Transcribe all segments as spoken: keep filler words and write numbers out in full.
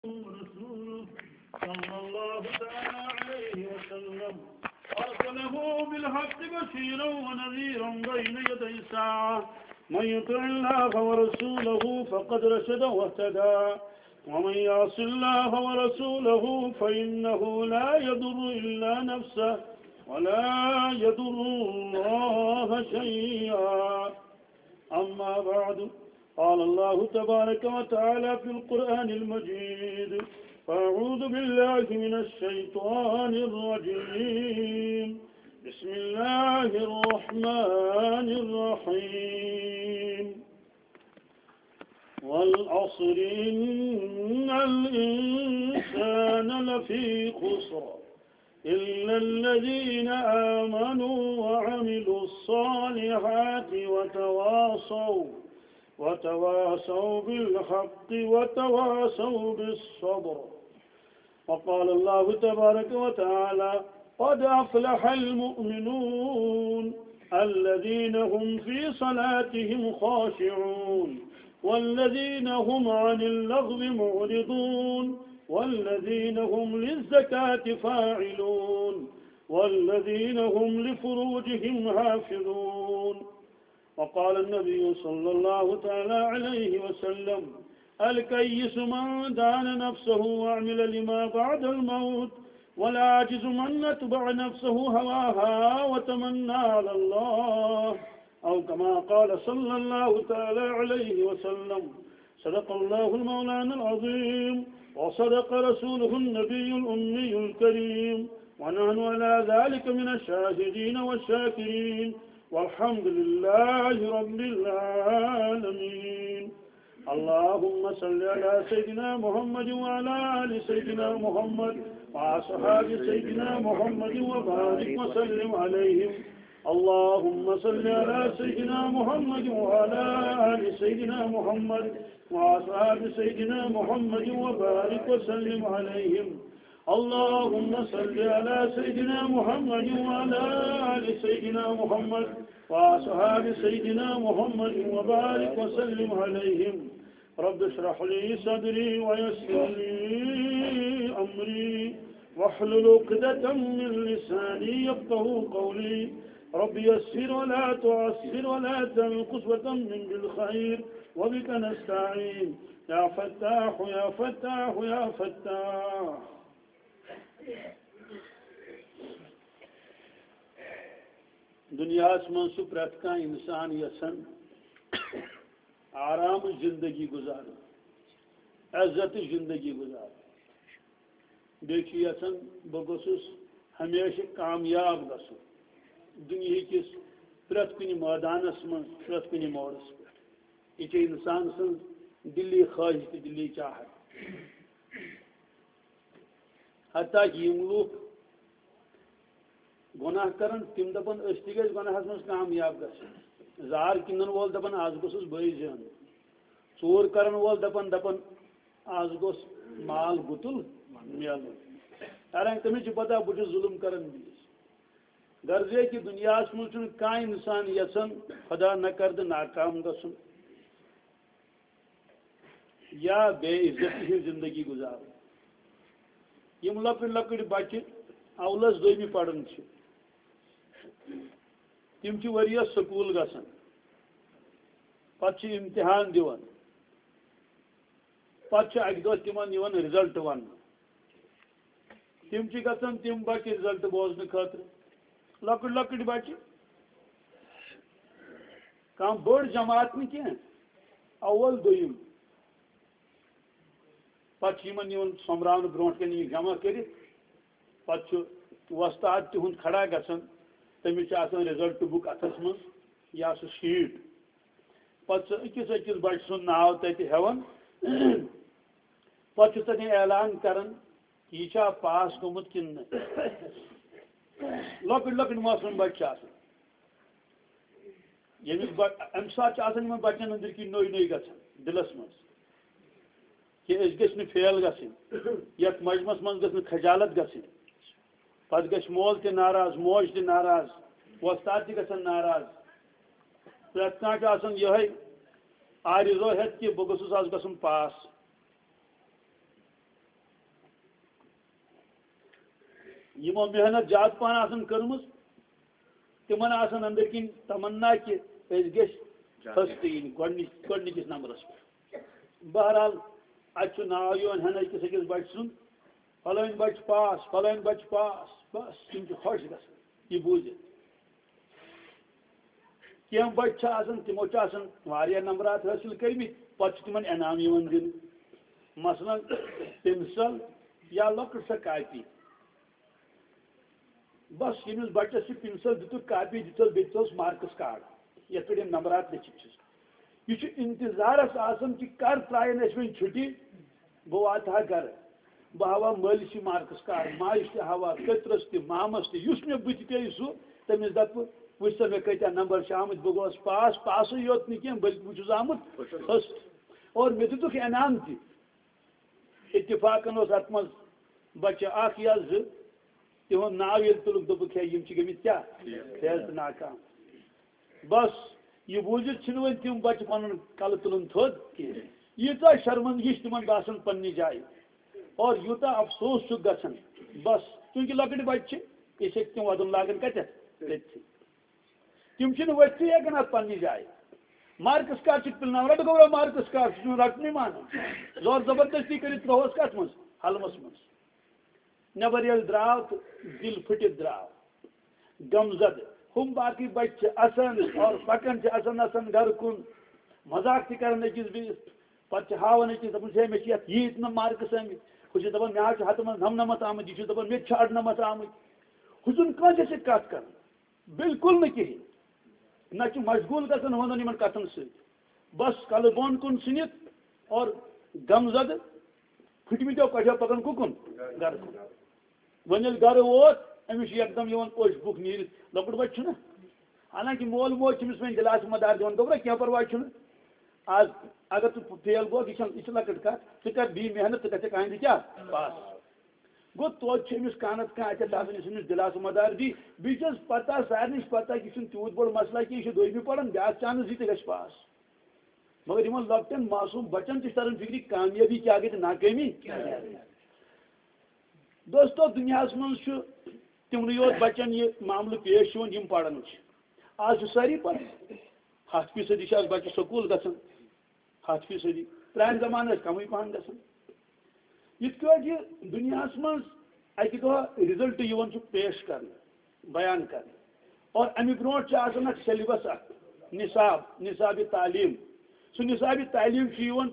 ورسوله صلى الله تعالى عليه وسلم أرسله بالحق بشيرا ونذيرا بين يدي الساعة. من يطع الله ورسوله فقد رشد واهتدى، ومن يعص الله ورسوله فإنه لا يضر إلا نفسه ولا يضر الله شيئا. أما بعد، قال الله تبارك وتعالى في القرآن المجيد: فأعوذ بالله من الشيطان الرجيم. بسم الله الرحمن الرحيم. والعصر إن الإنسان لفي خسر. إلا الذين آمنوا وعملوا الصالحات وتواصوا وتواصوا بالحق وتواصوا بالصبر. وقال الله تبارك وتعالى: قد أفلح المؤمنون الذين هم في صلاتهم خاشعون والذين هم عن اللغو معرضون والذين هم للزكاة فاعلون والذين هم لفروجهم حافظون. وقال النبي صلى الله تعالى عليه وسلم: الكيس من دان نفسه وعمل لما بعد الموت، والعاجز من أتبع نفسه هواها وتمنى على الله، أو كما قال صلى الله تعالى عليه وسلم. صدق الله المولانا العظيم، وصدق رسوله النبي الأمي الكريم، ونحن على ذلك من الشاهدين والشاكرين، والحمد لله رب العالمين. اللهم صل على سيدنا محمد وعلى آل سيدنا محمد وأصحاب سيدنا محمد وبارك وسلم عليهم. اللهم صل على سيدنا محمد وعلى آل سيدنا محمد وأصحاب سيدنا محمد وبارك وسلم عليهم. اللهم صل على سيدنا محمد وعلى آل سيدنا محمد وأصحاب سيدنا محمد وبارك وسلم عليهم. رب اشرح لي صدري ويسر لي أمري واحلل عقدة من لساني يفقهوا قولي. رب يسر ولا تعسر ولا تنقص وتمم بالخير وبك نستعين. يا فتاح يا فتاح يا فتاح. دنیاہس منٛز چھُ پرٛٮ۪تھ کانٛہہ انسان یژھان آرام زندگی گزارُن، عزت زندگی گزارُن۔ بیٚیہِ چھُ یژھان بہٕ گوٚژھُس ہمیشہِ کامیاب گژھُن دُنیہٕکِس پرٛٮ۪تھ کُنہِ مٲدانس منٛز، پرٛٮ۪تھ کُنہِ موڑس پٮ۪ٹھ۔ یہِ چھِ انسان سٕنٛز دِلی خواہش تہٕ دِلی چاہت۔ حتیٰ کہ یِم لوٗکھ گۄناہ کرن، تِم دپن أسۍ تہِ گژھِ گۄناہس منٛز کامیاب گژھٕنۍ۔ زار کٕنن وول دپان از گوٚژھُس بٔے زینُن۔ ژوٗر کرن وول دپان، دپان از گوٚژھ مال گُتُل میلُن۔ حالانکہ تٔمِس چھِ پتہ بہٕ چھُس ظُلُم کران بیٚیِس۔ غرض یہِ کہِ دُنیاہس منٛز چھُنہٕ کانٛہہ انسان یژھان خدا نہ کردٕ ناکام گژھُن۔ یا بے عزتی ہٕنٛز زندگی گُزارٕنۍ۔ یِم لۄکٕٹۍ لۄکٕٹۍ بچہِ اولس دوٚیمہِ پران چھِ، تِم چھِ ؤرۍ یس سکوٗل گژھان، پتہٕ چھِ امتحان دِوان، پتہٕ چھُ اکہِ دۄہ تِمن یِوان result وننہٕ۔ تِم چھِ گژھان تِم بچہِ result بوزنہٕ خٲطرٕ، لۄکٕٹۍ لۄکٕٹۍ بچہِ، کانٛہہ بٔڑ جماعت نہٕ کینٛہہ، اول دوٚیِم۔ پتہٕ چھِ یِمن یِوان سۄمبراونہٕ برونٛٹھ کنہِ یہِ جمع کٔرِتھ، پتہٕ چھُ وۄستاد تِہُنٛد کھڑا گژھان، تٔمِس چھِ آسان result book اتھس منٛز یا سُہ sheet۔ پتہٕ چھُ أکِس أکِس بچہٕ سُنٛد ناو تتہِ ہٮ۪وان، پتہٕ چھُ تتہِ اعلان کران، یہِ چھا پاس گوٚمُت کِنہٕ نہٕ؟ لۄکٕٹۍ لۄکٕٹۍ معصوٗم بچہٕ چھِ آسان۔ ییٚمِس بہ-، اَمہِ ساتہٕ چھِ آسان یِمن بچن أنٛدٕرۍ کِنۍ نٔے نٔے گژھان دِلس منٛز کہِ أسۍ گٔژھۍ نہٕ fail گژھٕنۍ، یتھ مجمس منٛز گٔژھ نہٕ خجالت گژھٕنۍ۔ پتہٕ گژھِ مول تہِ ناراض، موج تہِ ناراض، وۄستاد تہِ گژھن ناراض۔ پرٛٮ۪تھ کانٛہہ چھُ آسان یِہوٚے آرزو ہٮ۪تھ کہِ بہٕ گوٚژھُس آز گژھُن پاس۔ یِمو محنت زیادٕ پَہَن آسَن کٔرمٕژ، تِمَن آسَن أنٛدٕرۍ کِنۍ تمنا کہِ أسۍ گٔژھۍ first یِنۍ گۄڈٕنِچ-، گۄڈٕنِکِس نمبرَس پٮ۪ٹھ۔ بہرحال، اَتہِ چھُ ناو یِوان ہٮ۪نہٕ أکِس أکِس بَچہٕ سُنٛد، فلٲنۍ بَچہٕ پاس، فلٲنۍ بَچہٕ پاس، بَس، تِم چھِ خۄش گژھان یہِ بوٗزِتھ۔ کینٛہہ بَچہٕ چھِ آسان، تِمو چھِ آسان واریاہ نمبرات حٲصِل کٔرمٕتۍ، پَتہٕ چھُ تِمَن انعام یِوان دِنہٕ، مثلاً پِنسَل یا لۄکٕٹ سۄ کاپی۔ بَس، ییٚمِس بَچَس چھُ پِنسَل دِتُکھ، کاپی دِژٕس، بیٚیہِ دِژٕس مارکس کارڈ، یَتھ پٮ۪ٹھ یِم نمبرات لیٚکھِتھ چھِس۔ یہِ چھُ اِنتظارَس آسان کہِ کَر ترٛایَن اَسہِ وۄنۍ چھُٹی، بہٕ واتہٕ ہا گَرٕ، بہٕ ہاوہا مٲلِس یہِ مارکس کارڈ، ماجہِ تہِ ہاوہا، پیٚترَس تہِ، مامَس تہِ، یُس مےٚ بٕتھِ پیٚیہِ سُہ، تٔمِس دَپہٕ، وٕچھ سا مےٚ کۭتیٛاہ نمبر چھِ آمٕتۍ، بہٕ گوس پاس، پاسٕے یوت نہٕ کینٛہہ، بٔلکہِ بہٕ چھُس آمُت first۔ اور مےٚ دِتُکھ انعام تہِ۔ اتفاقن اوس اتھ منٛز بچہِ اکھ یا زٕ، تِہُنٛد ناو ییٚلہِ تُلُکھ، دوٚپُکھ، ہے، یِم چھِ گٔمٕتۍ کیٛاہ؟ فیل تہٕ ناکام۔ بس، یہِ بوٗزِتھ چھِنہٕ وۄنۍ تِم بچہِ پنُن کلہٕ تُلُن تھوٚد کینٛہہ۔ ییٖژاہ شرمندگی چھِ تِمن باسان پننہِ جایہِ، اور یوٗتاہ افسوس چھُکھ گژھان۔ بس، چوٗنٛکہِ لۄکٕٹۍ بچہِ چھِ، أسۍ ہیٚکۍ تِم ودُن لاگان کتٮ۪تھ؟ تٔتھی۔ تِم چھِنہٕ ؤتھتھٕے ہٮ۪کان اَتھ پننہِ جایہِ۔ مارکس کارڈ چھُکھ پِلناوان، رَٹہٕ گوٚبرا مارکس کارڈ، سُہ چھُنہٕ رَٹنُے مانان۔ زور زبردستی کٔرِتھ ترٛووہَس کَتھ منٛز؟ حلمَس منٛز۔ نٮ۪بر ییٚلہِ درٛاو تہٕ دِل پھٕٹِتھ درٛاو۔ غمزدٕ۔ ہُم باقٕے بَچہِ چھِ اَسان اور پَکان چھِ اَسان اَسان گَرٕ کُن۔ مذاق تہِ کَران أکِس بیٚیِس۔ پَتہٕ چھِ ہاوان أکِس، دَپان چھِ، "ہے، مےٚ چھِ یَتھ ییٖتۍ نہٕ مارکس آمٕتۍ۔" ہُہ چھُ دَپان، "مےٚ حظ چھُ ہَتہٕ منٛز نَمنَمَتھ آمٕتۍ۔" یہِ چھُ دَپان، "مےٚ تہِ چھِ اَرنَمَتھ آمٕتۍ۔" ہُہ چھُنہٕ کٲنٛسہِ سۭتۍ کَتھ کَران۔ بالکل نہٕ کِہیٖنۍ۔ نہ چھُ مشغوٗل گژھان ہُمن یِمن کتھن سۭتۍ۔ بس کلہٕ بۄن کُن ژھٕنِتھ اور غمزدٕ پھٕٹمٕتیو کۄٹھیو پکان کُکُن؟ گرٕ کُن۔ وۄنۍ ییٚلہِ گرٕ ووت، أمِس چھُ یکدم یِوان اوٚش بُکھ نیٖرِتھ۔ لۄکُٹ بچہِ چھُنہ؟ حالانکہِ مول موج چھُ أمِس وۄنۍ دِلاسہٕ مدار دِوان، دوٚپُکھ، "کینٛہہ پرواے چھُنہٕ۔ آز اگر ژٕ فیل گوکھ، یہِ چھَنہٕ، یہِ چھِ لۄکٕٹ کتھ۔ ژٕ کر بیٚیہِ محنت، ژٕ گژھکھ آیندٕ کیٛاہ؟ پاس۔" گوٚو توتہِ چھُ أمِس کانٛہہ نتہٕ کانٛہہ اَتٮ۪تھ آسان یُس أمِس دِلاسہٕ مدار دی۔ بیٚیہِ چھَس پتہ، سارنٕے چھِ پتہ کہِ یہِ چھُنہٕ تیوٗت بوٚڑ مسلہ کینٛہہ، یہِ چھُ دوٚیمہِ پران، بیٛاکھ chance دی تہٕ گژھِ پاس۔ مگر یِمن لۄکٹٮ۪ن معصوٗم بچن تہِ چھِ تران فِکرِ کامیٲبی کیٛاہ گٔے تہٕ ناکٲمی کیٛاہ گٔے۔ دوستو، دُنیاہس منٛز چھُ تِمنٕے یوت بچن یہِ معاملہٕ پیش یِوان، یِم پران چھِ۔ آز چھِ سٲری پران۔ ہَتھ فیٖصدی چھِ آز بچہٕ سکوٗل گژھان۔ ہَتھ فیٖصدی۔ پرٛانہِ زمانہٕ ٲسۍ کمٕے پہن گژھان۔ یِتھ کٲٹھۍ یہِ دُنیاہَس منٛز اَکہِ دۄہ result یِوان چھُ پیش کرنہٕ، بیان کرنہٕ، اور اَمہِ برونٛٹھ چھُ آسان اکھ syllabus اکھ، نصاب، نصاب تعلیٖم۔ سُہ نصاب تعلیٖم چھُ یِوان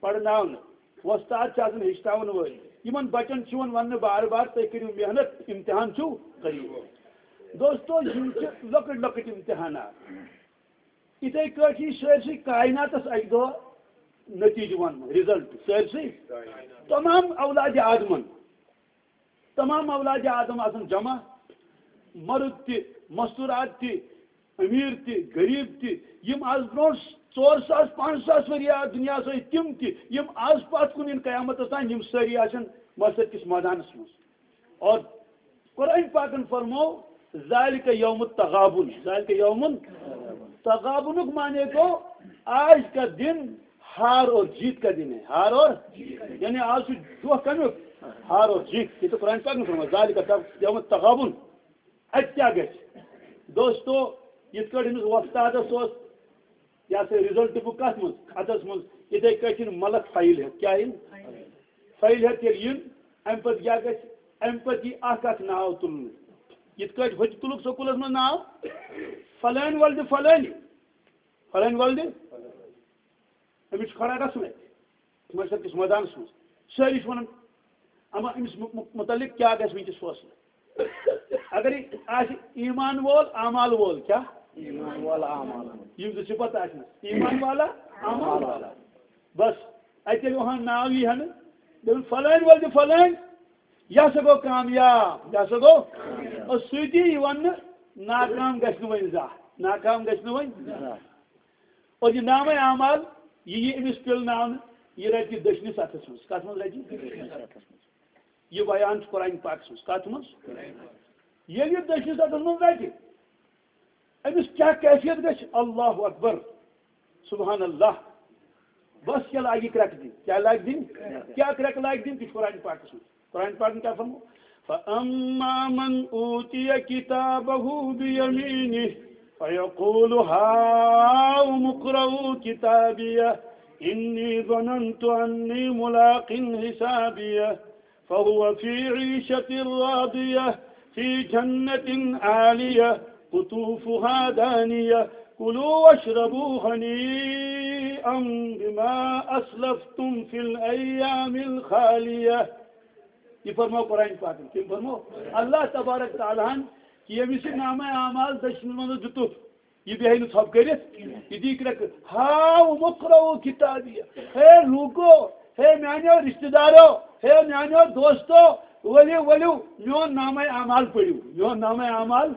پرناونہٕ، وۄستاد چھِ آسان ہیٚچھناوَن وٲلۍ۔ یِمن بچن چھُ یِوان وننہٕ بار بار، "تُہۍ کٔرِو محنت، امتحان چھُو قریب۔" دوستو، یِم چھِ لۄکٕٹۍ لۄکٕٹۍ امتحانات۔ یِتھَے کٲٹھۍ یی سٲرسٕے کایناتَس اَکہِ دۄہ نتیٖجہٕ وَننہٕ، result، سٲرسٕے۔ تمام اولادِ آدمَن، تمام اولادِ آدم آسَن جمع، مرد تہِ، مستورات تہِ، أمیٖر تہِ، غریٖب تہِ، یِم آز برونٛٹھ ژور ساس، پانٛژھ ساس ؤری آ-، دُنیاہَس ٲسۍ، تِم تہِ، یِم آز پَتھ کُن یِن قیامتَس تام، یِم سٲری آسَن محشر کِس مٲدانَس منٛز۔ اور قرآن پاکن فرمو، "ذالک یوم التغابن"، ذالک یوم تغابنک معنی گو، آج کا دن ہار اور جیت کا دن ہے، ہار اور، یعنی آج چھُ دۄہ کمیُک؟ ہار اور جیت۔ یہ تو قرآن پاکن فرمو، "ذالک یوم التغابن"۔ اتہِ کیٛاہ گژھِ؟ دوستو، یِتھ کٲٹھۍ أمِس وۄستادس اوس، یہِ ہسا result book کتھ منٛز؟ اتھس منٛز۔ یِتھے کٲٹھۍ یِن ملک فایل ہٮ۪تھ۔ کیٛاہ یِن؟ فایل ہٮ۪تھ ییٚلہِ یِن، امہِ پتہٕ کیٛاہ گژھِ؟ امہِ پتہٕ یی اکھ اکھ ناو تُلنہٕ۔ یِتھ کٲٹھۍ ہُتہِ تُلُکھ سکوٗلس منٛز ناو، فلٲنۍ ولدِ فلٲنۍ، فلٲنۍ ولدِ، أمِس چھُ کھڑا گژھُن اتہِ۔ محشر کِس مٲدانَس منٛز۔ سٲری چھِ وَنان، اما أمِس مُ-، مُ-، مُتعلِق کیٛاہ گژھِ وٕنکیٚس فٲصلہٕ؟ اگر یہِ آسہِ ایمان وول، اعمال وول، کیٛاہ؟ ایمان وول، اعمال وول۔ یِم زٕ صفت آسہِ نہٕ۔ ایمان والا، اعمال والا۔ بس، اَتہِ ییٚلہِ اُہُنٛد ناو یی ہَنہٕ، دَپَن، "فلٲنۍ وول تہٕ فلٲنۍ، یہِ ہسا گوٚو کامیاب، یہِ ہسا گوٚو۔" اور سۭتی یہِ وَننہٕ، ناکام گژھِ نہٕ وۄنۍ زانٛہہ، ناکام گژھِ نہٕ وۄنۍ زانٛہہ۔ اور یہِ نامہ اعمال، یہِ یی أمِس پِلناونہٕ، یہِ رَٹہِ دٔچھنِس اَتھَس منٛز۔ کَتھ منٛز رَٹہِ؟ یہِ بیان چھُ قرآن پاکَس منٛز۔ کَتھ منٛز؟ ییٚلہِ یہِ دٔچھنِس اَتھَس منٛز رَٹہِ، أمِس کیٛاہ کیفیت گژھِ؟ اللہ اکبر، سبحان اللہ۔ بس کیٛاہ لاگہِ کرٛٮ۪کہٕ دِنۍ؟ کیٛاہ لاگہِ دِنۍ؟ کیٛاہ کرٛٮ۪کہٕ لاگہِ دِنۍ؟ تہِ چھُ قرآن پاکَس منٛز۔ قرآن پاکَن کیٛاہ فرمو؟ فأما من أوتي كتابه بيمينه فيقول هاؤم اقرءوا كتابيه إني ظننت أني ملاق حسابيه فهو في عيشة راضية في جنة عالية قطوفها دانية كلوا واشربوا هنيئا بما أسلفتم في الأيام الخالية. یہ فرمو قرآن پاکن، کم فرمو؟ اللہ تبارک تعالیٰ ہن کہ ییٚمِس یہِ نامہ اعمال دٔچھنہِ منٛز دیُتُکھ، یہ بیہی نہٕ ژھۄپہٕ کٔرِتھ، یہ دی کرٛٮ۪کہٕ، ہاؤم اقرءوا کتابیہ، ہے لوٗکو، ہے میانیو رشتہ دارو، ہے میانیو دوستو، ؤلِو، ؤلِو، میون نامہ اعمال پٔرِو، میون نامہ اعمال،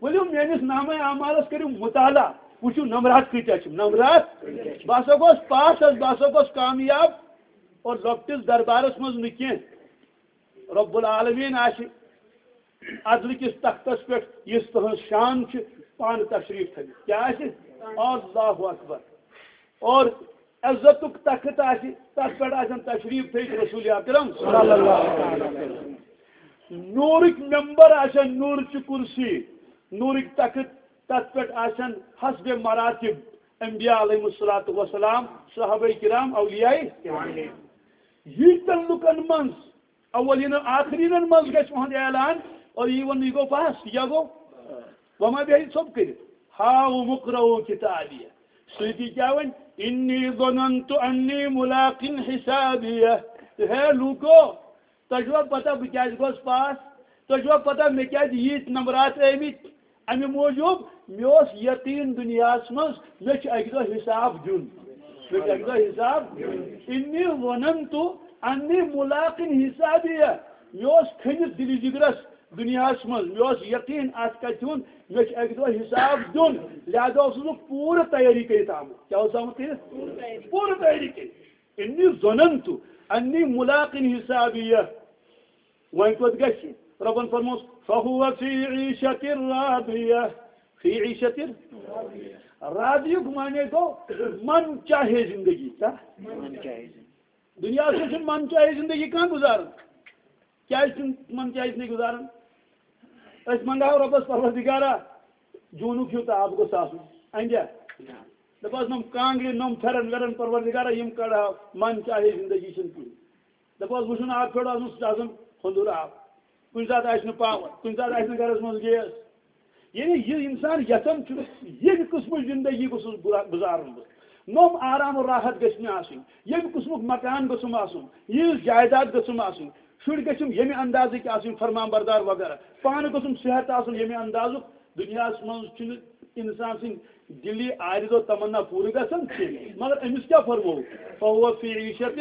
ؤلِو میٲنِس نامہ اعمالس کٔرِو مطالعہ، وٕچھِو نمرات کۭتیاہ چھِ، نمرات، بہٕ ہسا گوس پاس حظ، بہٕ ہسا گوس کامیاب، اور لۄکٹِس دربارس منٛز نہٕ کینٛہہ۔ رب العالمین آسہِ عدل کِس تختس پٮ۪ٹھ، یُس تُہنٛز شان چھِ، پانہٕ تشریف تھٲوِتھ۔ کیٛاہ آسہِ؟ اللہ اکبر۔ اور عزتُک تخت آسہِ، تتھ پٮ۪ٹھ آسن تشریف تھٲوِتھ رسول اکرم صلی اللہ علیہ وسلم۔ نوٗرٕکۍ ممبر آسن، نوٗرٕچہِ کرسی، نوٗرٕکۍ تخت، تتھ پٮ۪ٹھ آسن حسب مراتب انبیاء علیہم الصلوۃ والسلام، صحابہ کرام، اولیاء۔ ییٖتٮ۪ن لُکن منٛز اولین و آخرینن منٛز گژھِ اُہُنٛد اعلان، اور یہِ ووٚن، یہِ گوٚو پاس، یہِ کیٛاہ گوٚو؟ وۄنۍ ما بیٚہہِ ژھوٚپ کٔرِتھ؟ ہاؤم اقرءوا کتابیہ۔ سۭتی کیٛاہ وَنہِ؟ انی ظننت انی ملاق حسابیہ۔ ہے لوٗکو، تۄہہِ چھُوا پتہ بہٕ کیٛازِ گوس پاس؟ تۄہہِ چھُوا پتہ مےٚ کیٛازِ ییٖتۍ نمبرات ٲمٕتۍ؟ اَمہِ موٗجوٗب مےٚ اوس یقیٖن دُنیاہَس منٛز، مےٚ چھُ اَکہِ دۄہ حِساب دیُن۔ مےٚ چھُ اَکہِ دۄہ حِساب دیُن۔ انی ظننت انی ملاق حسابیہ۔ مےٚ اوس کھٔنِتھ دِلہِ جِگرَس دُنیاہَس منٛز، مےٚ اوس یقیٖن اَتھ کَتھِ ہُنٛد، مےٚ چھُ اَکہِ دۄہ حِساب دیُن۔ لہذا اوسُس بہٕ پوٗرٕ تیٲری کٔرِتھ آمُت۔ کیٛاہ اوسُس آمُت کٔرِتھ؟ پوٗرٕ تیٲری کٔرِتھ۔ انی ظننت انی ملاق حسابیہ۔ وۄنۍ کوٚت گژھِ؟ رۄبن فرمووُس، فہو فی عیشۃ راضیہ۔ فی عیشۃ راضیہ۔ راضیُک معنی گوٚو من چاہے زندگی۔ کیٛاہ؟ من چاہے زندگی۔ دُنیاہَس منٛز چھُنہٕ من چاہے زندگی کانٛہہ گُزاران۔ کیٛازِ چھُنہٕ من چاہے زندگی گُزاران؟ أسۍ منٛگہو رۄبَس، پروردگارا، جوٗنُک ہیوٗ تاپھ گوٚژھ آسُن۔ اَنجا؟ دَپہوس، نۄم کانٛگرِ، نۄم پھٮ۪رن وٮ۪رن، پروردگارا، یِم کڑہاو، من چاہے زندگی چھنہٕ کِہیٖنۍ۔ دَپہوس، وٕشُن آب پھیوٚر آسُن، سُہ چھُ آسان ہۄندُر آب۔ کُنہِ ساتہٕ آسہِ نہٕ پاور، کُنہِ ساتہٕ آسہِ نہٕ گرس منٛز گیس۔ یعنی یہِ انسان یژھان چھُ، ییٚمہِ قٕسمٕچ زندگی گوٚژھُس گُزا-، گُزارُن بہٕ۔ نوٚم آرام و راحت گژھِ مےٚ آسُن، ییٚمہِ قٕسمُک مکان گوٚژھُم آسُن، یِژھ جائیداد گٔژھٕم آسٕنۍ، شُرۍ گٔژھِم ییٚمہِ اندازٕکۍ آسٕنۍ، فرمان بردار وغیرہ۔ پانہٕ گوٚژھُم صحت آسُن ییٚمہِ اندازُک۔ دُنیاہَس منٛز چھُنہٕ انسان سٕنٛدۍ دِلی عارض و تمنا پوٗرٕ گژھان کینٛہہ۔ مگر أمِس کیٛاہ فرموو؟ فہو فی عیشت،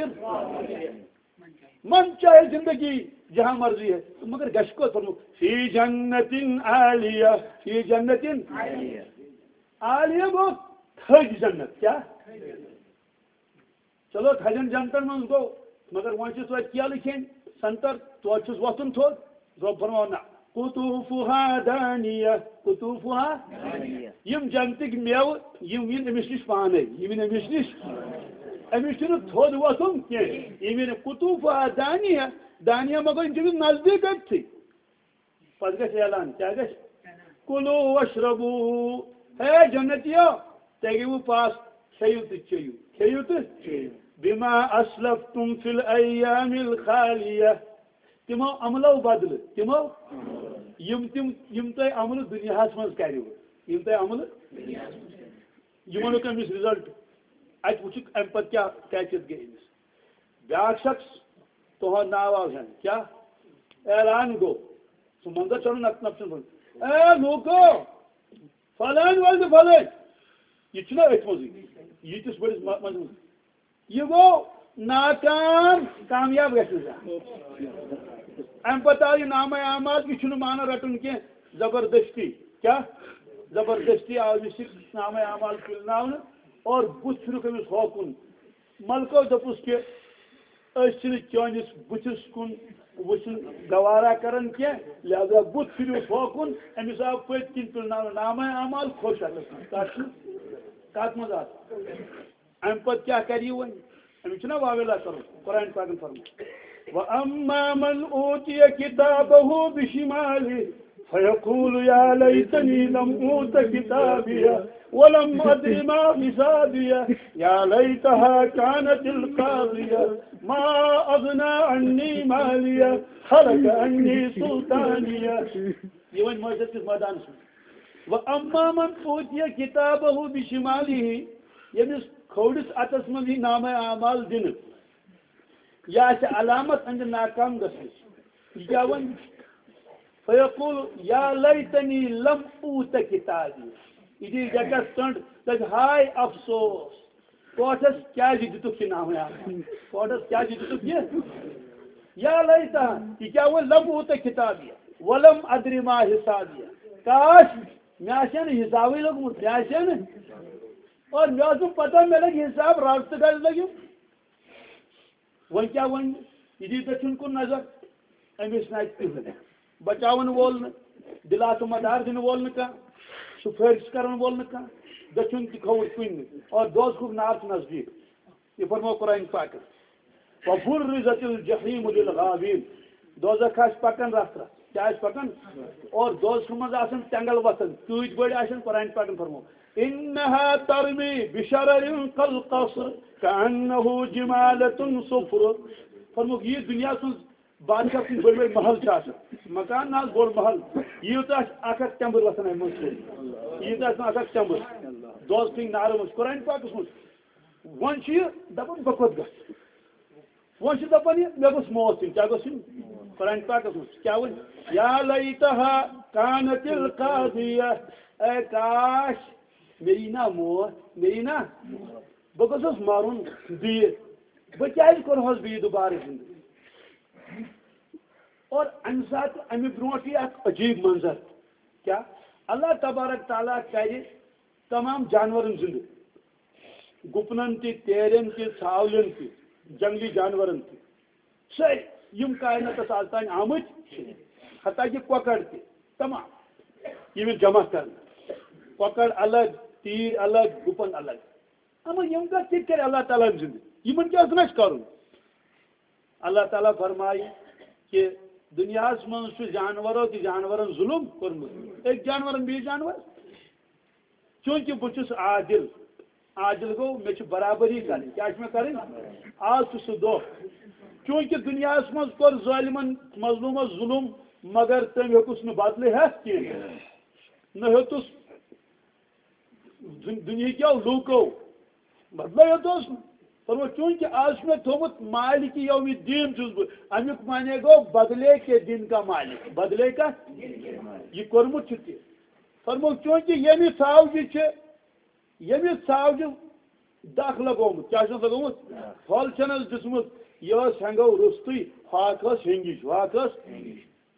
من چاہے زندگی جہاں مرضی ہے، تو مگر گژھِ کوٚت؟ فرموو، فی جنت عالیہ، فی جنت عالیہ۔ گوٚو تھٔج جنت۔ کیٛاہ؟ چلو، تھجن جنتن منٛز گوٚو، مگر وۄنۍ چھُس توتہِ کیلہٕ کھیٚنۍ، سنگتر، توتہِ چھُس وۄتھُن تھوٚد۔ رۄب فرماوان، نہ، قطوفها دانیہ، قطوفها۔ یِم جنتٕکۍ میوٕ، یِم یِن أمِس نِش پانے، یِم یِن أمِس نِش۔ أمِس چھُنہٕ تھوٚد وۄتھُن کینٛہہ۔ یِم یِن قطوفها دانیہ، دانیہ مگر یِم چھِ أمِس نزدیٖک أتھی۔ پتہٕ گژھِ اعلان، کیٛاہ گژھِ؟ کُلوٗ وَشرَبوٗ۔ ہے جنتیو، تۄہہِ گٔیوٕ پاس، کھیٚیِو تہٕ چیٚیِو، کھیٚیِو تہٕ چیٚیِو۔ بِما اَسلَفْتُمْ فِی الْأَیَّامِ الْخَالِیَہ۔ تِمو عملو بدلہٕ، تِمو یِم تِم، یِم تۄہہِ عملہٕ دُنیاہَس منٛز کَریوٕ، یِم تۄہہِ عملہٕ، یِمو نیوٗ تٔمِس رِزلٹ۔ اَتہِ وٕچھُکھ اَمہِ پَتہٕ کیٛاہ کیفیت گٔے أمِس۔ بیٛاکھ شخص، تُہُنٛد ناو آو ہٮ۪نہٕ۔ کیٛاہ؟ اعلان گوٚو۔ سُہ منظر چھُنہٕ نَتہٕ نَتہٕ چھُنہٕ۔ اے لوٗکو، فلٲنۍ وٲلۍ تہٕ فلٲنۍ۔ یہِ چھُنہ أتھۍ منٛزٕے۔ ییٖتِس بٔڑِس مَ-، منٛز منٛز۔ یہِ گوٚو ناکام، کامیاب گژھِ نہٕ زانٛہہ۔ اَمہِ پَتہٕ آو یہِ نامہ اعمال، یہِ چھُنہٕ مانان رَٹُن کینٛہہ۔ زبردستی۔ کیٛاہ؟ زبردستی آو أمِس یہِ نامہ اعمال پِلناونہٕ اور بُتھ پھِرُکھ أمِس ہوکُن۔ ملکو دوٚپُس کہِ أسۍ چھِنہٕ چٲنِس بُتھِس کُن وٕچھُن گوارا کران کینٛہہ، لہذا بُتھ پھِرِو ہوکُن۔ أمِس آو پٔتۍ کِنۍ تُلناونہٕ نامہ اعمال، خۄش اَتَس منٛز۔ کَتھ چھُ؟ کَتھ منٛز آو؟ اَمہِ پَتہٕ کیٛاہ کَرِ یہِ وۄنۍ؟ أمِس چھُنہ واویلا کَرُن؟ قرآن پاکَن فرموو، وأما من أوتي كتابه بشماله فيقول يا ليتني لم أوت كتابيه ولم أدر ما حسابيه يا ليتها كانت القاضية ما أغنى عني ماليه هلك عني سلطانيه. یہ وۄنۍ معاشرس کِس مٲدانس منٛز۔ وأما من أوتي كتابه بشماله، ییٚمِس کھوورِس اَتھس منٛز یی نامہ اعمال دِنہٕ، یا چھِ علامت أہنٛدِ ناکام گژھنٕچ۔ یہِ کیٛاہ وَنہِ؟ فیقول یا لیتنی لم اوت کتابی۔ یہِ دِیہِ ڈیکس ٹٔنٛڈ، دَپہِ ہاے افسوس، کوٹھس کیٛازِ دِتُکھ یہِ نامہ اعمال؟ کوٹھس کیٛازِ دِتُکھ یہِ؟ یا لیتہا، یہِ کیٛاہ وَنہِ؟ لم اوت کتابی، ولم ادری ما حسابی۔ کاش، مےٚ آسہِ ہا نہٕ حسابٕے لوٚگمُت، مےٚ آسہِ ہا نہٕ۔ اور مےٚ ٲس نہٕ پتہ مےٚ لگہِ حساب، رز تہٕ گژھِ لگہِ۔ وۄنۍ کیٛاہ وَنہِ؟ یہِ دِیہِ دٔچھُن کُن نظر، أمِس نہٕ اَتہِ کٕہٕنۍ۔ بچاوَن وول نہٕ، دِلاسہٕ مدار دِنہٕ وول نہٕ کانٛہہ، سُہ فٲرِش کَرَن وول نہٕ کانٛہہ، دٔچھُن تہِ کھووُر کُنہِ نہٕ، اور دوزخُک نار چھُ نزدیٖک۔ یہِ فرموو قرآن پاکَن، وَبُرِّزَتِ الْجَحِيمُ لِلْغَاوِينَ۔ دوزخ آسہِ پَکان رَژھ رَژھ۔ کیٛاہ آسہِ پَکان؟ اور دوزخہٕ منٛز آسان تٮ۪نٛگَل وَسان۔ کۭتۍ بٔڑۍ آسن؟ قرآن پاکَن فرموو، إِنَّهَا تَرْمِي بِشَرَرٍ كَالْقَصْرِ كَأَنَّهُ جِمَالَةٌ صُفْرٌ۔ فرمووُکھ، یہِ دُنیاہَس منٛز بادشاہ سٕنٛدۍ بٔڑۍ بٔڑۍ محل چھِ آسان، مکان نہ حظ بوٚڑ محل، ییٖژاہ آسہِ اَکھ اَکھ ٹٮ۪مبٕر وَسان اَمہِ منٛز سیوٚد، ییٖژاہ آسہِ اَکھ اَکھ ٹٮ۪مبٕر، دوزخٕکۍ نارٕ منٛز چھُ قرآن پاکَس منٛز۔ وۄنۍ چھُ یہِ دَپان، بہٕ کوٚت گژھٕ؟ وۄنۍ چھُ دَپان یہِ، مےٚ گوٚژھ موت یُن۔ کیٛاہ گوٚژھ یُن؟ قرآن پاکَس منٛز چھُ۔ کیٛاہ وَنہِ؟ یا لیتہا کانت القاضیہ، اے کاش، مےٚ یی نا موت، مےٚ یی نا، بہٕ گوٚژھُس مَرُن بیٚیہِ، بہٕ کیٛازِ کوٚرہوس بیٚیہِ دُبارٕ زِندٕ؟ اور اَمہِ ساتہٕ، اَمہِ برونٛٹھ یی اَکھ عجیٖب منظر۔ کیٛاہ؟ اللہ تبارک تعالیٰ کَرِ تمام جانوَرَن زِندٕ، گُپنَن تہِ، تیرٮ۪ن تہِ، ژھاولٮ۪ن تہِ، جنٛگلی جانوَرَن تہِ، سٲری یِم کائناتَس آز تام آمٕتۍ چھِ، حتیٰ کہِ کۄکَر تہِ، تمام یِم یِن جمع کرنہٕ۔ کۄکَر الگ، تیٖرۍ الگ، گُپَن الگ۔ اما یِم کَتھ کِتھ کٔرۍ اللہ تعالیٰ ہَن زِندٕ؟ یِمَن کیٛاہ اوس نہٕ اَسہِ کَرُن؟ اللہ تعالیٰ فرمایہِ کہِ دُنیاہَس منٛز چھُ جانوَرو تہِ جانوَرَن ظُلُم کوٚرمُت۔ أکۍ جانوَرَن بیٚیہِ جانوَر۔ چوٗنٛکہِ بہٕ چھُس عادل، عادل گوٚو، مےٚ چھِ برابری کَرٕنۍ۔ کیٛاہ چھِ مےٚ کَرٕنۍ؟ آز چھُ سُہ دۄہ۔ چوٗنٛکہِ دُنیاہَس منٛز کوٚر ظٲلمَن مظلوٗمَس ظُلُم، مگر تٔمۍ ہیوٚکُس نہٕ بدلہٕ ہٮ۪تھ کینٛہہ۔ نہ ہیوٚتُس دُن-، دُنیہٕکیو لوٗکو۔ مطلب یوت اوس، فرموو، چوٗنٛکہِ آز چھُ مےٚ تھوٚومُت مالکِ یومِ دیٖن چھُس بہٕ، اَمیُک معنی گوٚو بدلے کے دِن کا مالک، بدلے کا، یہِ کوٚرمُت چھُ تہِ۔ فرموو، چوٗنٛکہِ ییٚمہِ ژھاوجہِ چھِ، ییٚمہِ ژھاوجہِ دَکھ لگومُت، کیٛاہ چھُس لگومُت؟ پھل چھَنَس دِژمٕژ، یہِ ٲس ہٮ۪نٛگو روٚستُے، ہۄکھ ٲس ہٮ۪نٛگِج، ہۄکھ ٲس۔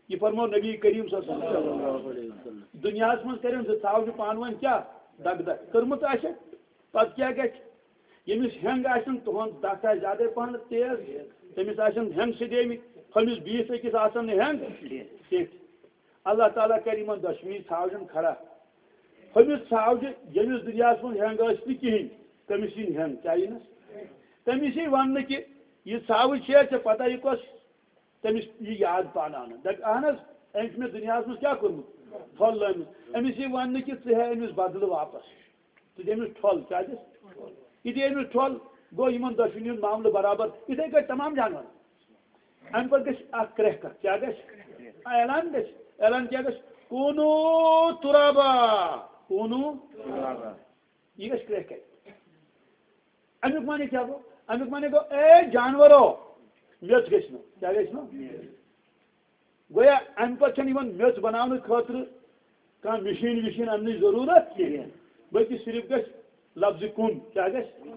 یہِ فرموو نبی کریم صلی اللہ علیہ وسلم۔ دُنیاہَس منٛز کٔرِو زٕ ژھاوجہِ پانہٕ ؤنۍ کیٛاہ دَگ دَگ کٔرمٕژ آسٮ۪کھ، پَتہٕ کیٛاہ گژھِ؟ ییٚمِس ہٮ۪نٛگ آسن، تُہُنٛد دَکھ آسہِ زیادَے پَہَن تیز، تٔمِس آسن ہٮ۪نٛگ سیٚدیمٕتۍ، ہُمِس بیٚیِس أکِس آسن نہٕ ہٮ۪نٛگ کینٛہہ۔ اللہ تعالیٰ کَرِ یِمَن دۄشوٕنی ژھاوجَن کھڑا۔ ہُمِس ژھاوجہِ، ییٚمِس دُنیاہَس منٛز ہٮ۪نٛگ ٲس نہٕ کِہیٖنۍ، تٔمِس یِن ہٮ۪نٛگ، کیٛاہ یِنَس؟ تٔمِس یی وَننہٕ کہِ یہِ ژھاوٕج چھےٚ ژےٚ پَتہ یہِ کۄس؟ تٔمِس یہِ یاد پانہٕ اَنان۔ دَپہِ، اَہَن حظ، أمۍ چھُ مےٚ دُنیاہَس منٛز کیٛاہ کوٚرمُت؟ پھۄل لٲمٕژ۔ أمِس یی وَننہٕ کہِ ژٕ ہےٚ أمِس بدلہٕ واپَس۔ ژٕ دِ أمِس ٹھۄل، کیٛاہ دِس؟ یہِ دِ أمِس ٹھۄل، گوٚو یِمَن دۄشوٕنی ہُنٛد معاملہٕ برابر۔ یِتھَے کٲٹھۍ تمام جانوَرَن۔ اَمہِ پَتہٕ گژھِ اَکھ کرٛٮ۪کھ اَکھ۔ کیٛاہ گژھِ؟ اعلان گژھِ۔ اعلان کیٛاہ گژھِ؟ کوٗنوٗ تُرابا۔ کوٗنوٗ۔ یہِ گژھِ کرٛٮ۪کھ اَکہِ۔ اَمیُک معنی کیٛاہ گوٚو؟ اَمیُک معنی گوٚو، اے جانوَرو، میٚژ گژھِ نہٕ۔ کیٛاہ گژھِ نہٕ؟ گویا اَمہِ پَتہٕ چھَنہٕ یِوان میٚژ بَناونہٕ خٲطرٕ کانٛہہ مِشیٖن وِشیٖن اَننٕچ ضروٗرت کِہیٖنۍ، بلکہِ صرف گژھِ لفظِ کُن۔ کیٛاہ گژھِ؟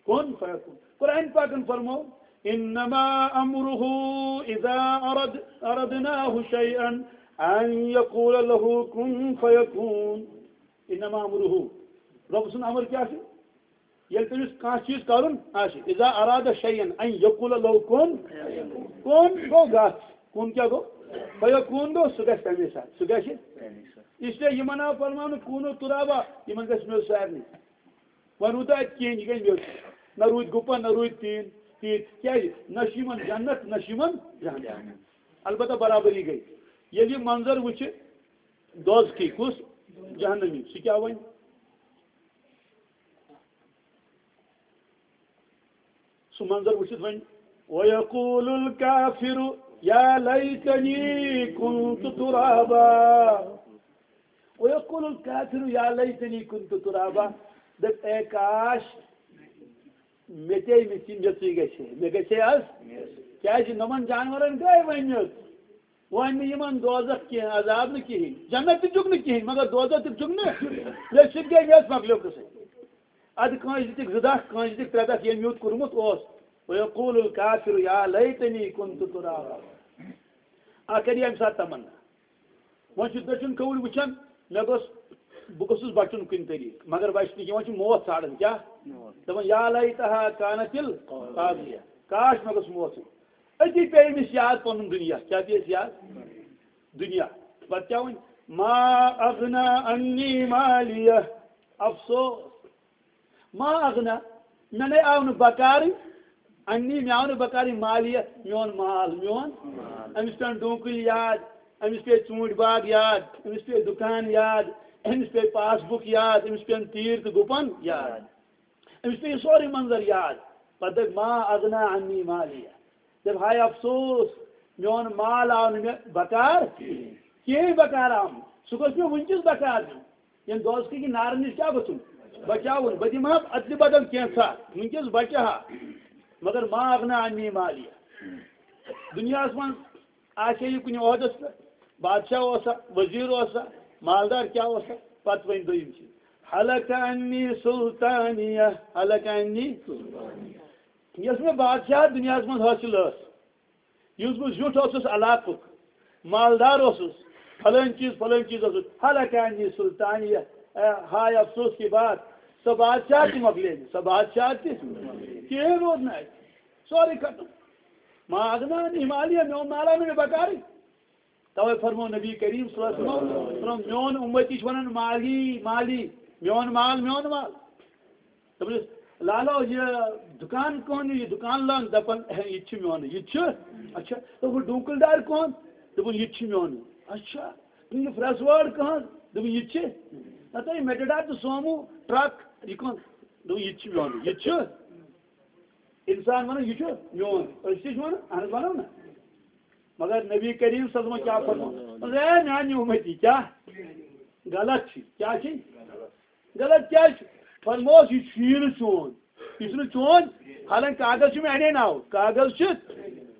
کُن فیکون۔ قرآن پاکَن فرموو، انما امره اذا اراد، اردناه شيئا ان يقول له كن فيكون۔ انما امره، رۄب سُنٛد امر کیٛاہ چھُ؟ ییٚلہِ تٔمِس کانٛہہ چیٖز کَرُن آسہِ، اذا اراد شيئا ان يقول له كن، کُن گوٚو گژھ، کُن کیٛاہ گوٚو؟ فیکون گوٚو، سُہ گژھِ تَمے ساتہٕ، سُہ گژھِ۔ اس لیے یِمن آو فرماونہٕ کوٗنوٗ تُرابا، یِمن گژھِ میٚژ سارنٕے۔ وۄنۍ روٗد نہٕ اَتہِ کِہیٖنۍ، یہِ گٔے میٚژ۔ نہ روٗدۍ گُپن، نہ روٗدۍ تیٖن۔ ٹھیٖک، کیٛازِ؟ نہ چھِ یِمن جنت، نہ چھِ یِمن جہنم۔ البتہ برابری گٔے۔ ییٚلہِ یہِ منظر وٕچھِ دوزخی، کُس؟ جہنمی، سُہ کیٛاہ وَنہِ؟ سُہ منظر وٕچھِتھ وَنہِ، "وَيَقُولُ الْكَافِرُ يَا لَيْتَنِي كُنْتُ تُرَابًا۔ وَيَقُولُ الْكَافِرُ يَا لَيْتَنِي كُنْتُ تُرَابًا۔" دَپہِ، اے کاش، مےٚ تے أمِس یہِ میٚژٕے گژھِ ہے، مےٚ گژھِ ہے از۔ کیٛازِ نۄمن جانورن گٔے وۄنۍ میٚژ۔ وۄنۍ نہٕ یِمن دوزخ کینٛہہ، عذاب نہٕ کِہیٖنۍ، جنت تہِ دیُت نہٕ کِہیٖنۍ، مگر دوزخ تہِ دیُت نہٕ۔ ییٚلہِ سُہ تہِ گٔے میٚژ، مۄکلیو قٕصے۔ اَدٕ کٲنٛسہِ دِتِکھ زٕ دَکھ، کٲنٛسہِ دِتِکھ ترٛےٚ دَکھ، ییٚمۍ یُتھ کوٚرمُت اوس۔ وَيَقُولُ الْكَافِرُ يَا لَيْتَنِي كُنْتُ تُرَابًا۔ اَکھ کَرِ اَمہِ ساتہٕ تَمنا۔ وۄنۍ چھُ دٔچھُن کھووُر وٕچھان، مےٚ گوٚژھ، بہٕ گوٚژھُس بَچُن کُنہِ طریٖقہٕ، مگر بَچہِ نہٕ کینٛہہ، وۄنۍ چھُ موت ژھانٛڈان۔ کیٛاہ؟ موت۔ دَپان، "یا لیتہا کانت القاضیہ۔" کاش مےٚ گوٚژھ موت یُن۔ أتی پیٚیہِ أمِس یاد پَنُن دُنیا۔ کیٛاہ پیٚیَس یاد؟ دُنیا۔ پَتہٕ کیٛاہ وَنہِ؟ "ما اغنا عنی مالیہ۔" افسوس۔ ما اغنا، مےٚ نے آو نہٕ بکارٕے، انی، مےٚ آو نہٕ بکارٕے مالیہ، میون مال، میون۔ أمِس پیٚن ڈوٗنکٕلۍ یاد، أمِس پیٚیہِ ژوٗنٛٹھۍ باغ یاد، أمِس پیٚیہِ دُکان یاد، أمِس پیٚیہِ پاس بُک یاد، أمِس پیٚن تیٖر تہٕ گُپن یاد۔ أمِس پیٚیہِ سورُے منظر یاد۔ پتہٕ دَپہِ، "ما اغنا عنی مالیہ۔" دَپہِ، ہاے افسوس، میون مال آو نہٕ مےٚ بکار کِہیٖنۍ، بکار آو نہٕ۔ سُہ گوٚژھ مےٚ وٕنکیٚس بکار دیُن۔ ییٚمہِ دوزخٕکہِ نارٕ نِش کیٛاہ گوٚژھُم؟ بچاوُن۔ بہٕ دِمہٕ ہا اَدلہِ بدل کینٛژھا، وٕنکیٚس بچہٕ ہا۔ مگر ما اغنا عنی مالیہ۔ دُنیاہَس منٛز آسہِ ہے یہِ کُنہِ عہدَس پٮ۪ٹھ، بادشاہ اوسا، وزیٖر اوسا، مالدار کیٛاہ اوسا، پَتہٕ وۄنۍ دوٚیِم چیٖز، ہلک عنی سلطانیہ، ہلک عنی۔ یۄس مےٚ بادشاہ دُنیاہَس منٛز حٲصِل ٲس، یُس بہٕ زیُٹھ اوسُس علاقُک، مالدار اوسُس، فلٲنۍ چیٖز، فلٲنۍ چیٖز اوسُس، ہلک عنی سلطانیہ، اے، ہاے افسوس کی بات، سۄ بادشاہ تہِ مۄکلے مےٚ، سۄ بادشاہ تہِ کِہیٖنۍ روٗد نہٕ اَتہِ، سورُے ختم۔ ما اغنا عنی مالیہ، میون مال آو نہٕ مےٚ بکارٕے۔ توے فرمو نبی کریم صلی اللہ علیہ وسلم، فرمو، میون امتی چھُ ونان، "مالی، مالی"، میون مال، میون مال۔ دوٚپُس، "لالا، یہِ دُکان کٕہٕنٛدِ، یہِ دُکان لٲن؟" دَپان، "ہے، یہِ تہِ چھُ میونُے، یہِ تہِ چھُ۔" اچھا، دوٚپُن، "ڈوٗنٛکٕلۍ دار کٕہٕنٛد؟" دوٚپُن، "یہِ تہِ چھُ میونُے۔" اچھا، دوٚپُن، "یہِ پرٛٮ۪س وٲر کٕہٕنٛز؟" دوٚپُن، "یہِ تہِ چھِ۔" نہ تہٕ یہِ میٹڈار تہٕ سومو، ٹرٛک، یہِ کٕہٕنٛز؟ دوٚپُن، "یہِ تہِ چھُ میونُے، یہِ تہِ چھُ۔" اِنسان وَنان، "یہِ چھُ میون۔" أسۍ تہِ چھِ وَنان، اَہَن حظ وَنو نہ۔ مگر نبی کریم صلی اللہ علیہ وسلم کیٛاہ فرموو؟ دوٚپُن، "اے میٛانہِ اُمتی، کیٛاہ غلط چھِ؟ کیٛاہ چھِ؟ غلط کیٛازِ چھُ؟" فرمووُس، "یہِ چھُیی نہٕ چون، یہِ چھُنہٕ چون، حالانکہ کاغذ چھُ میٛانے ناو، کاغذ چھُ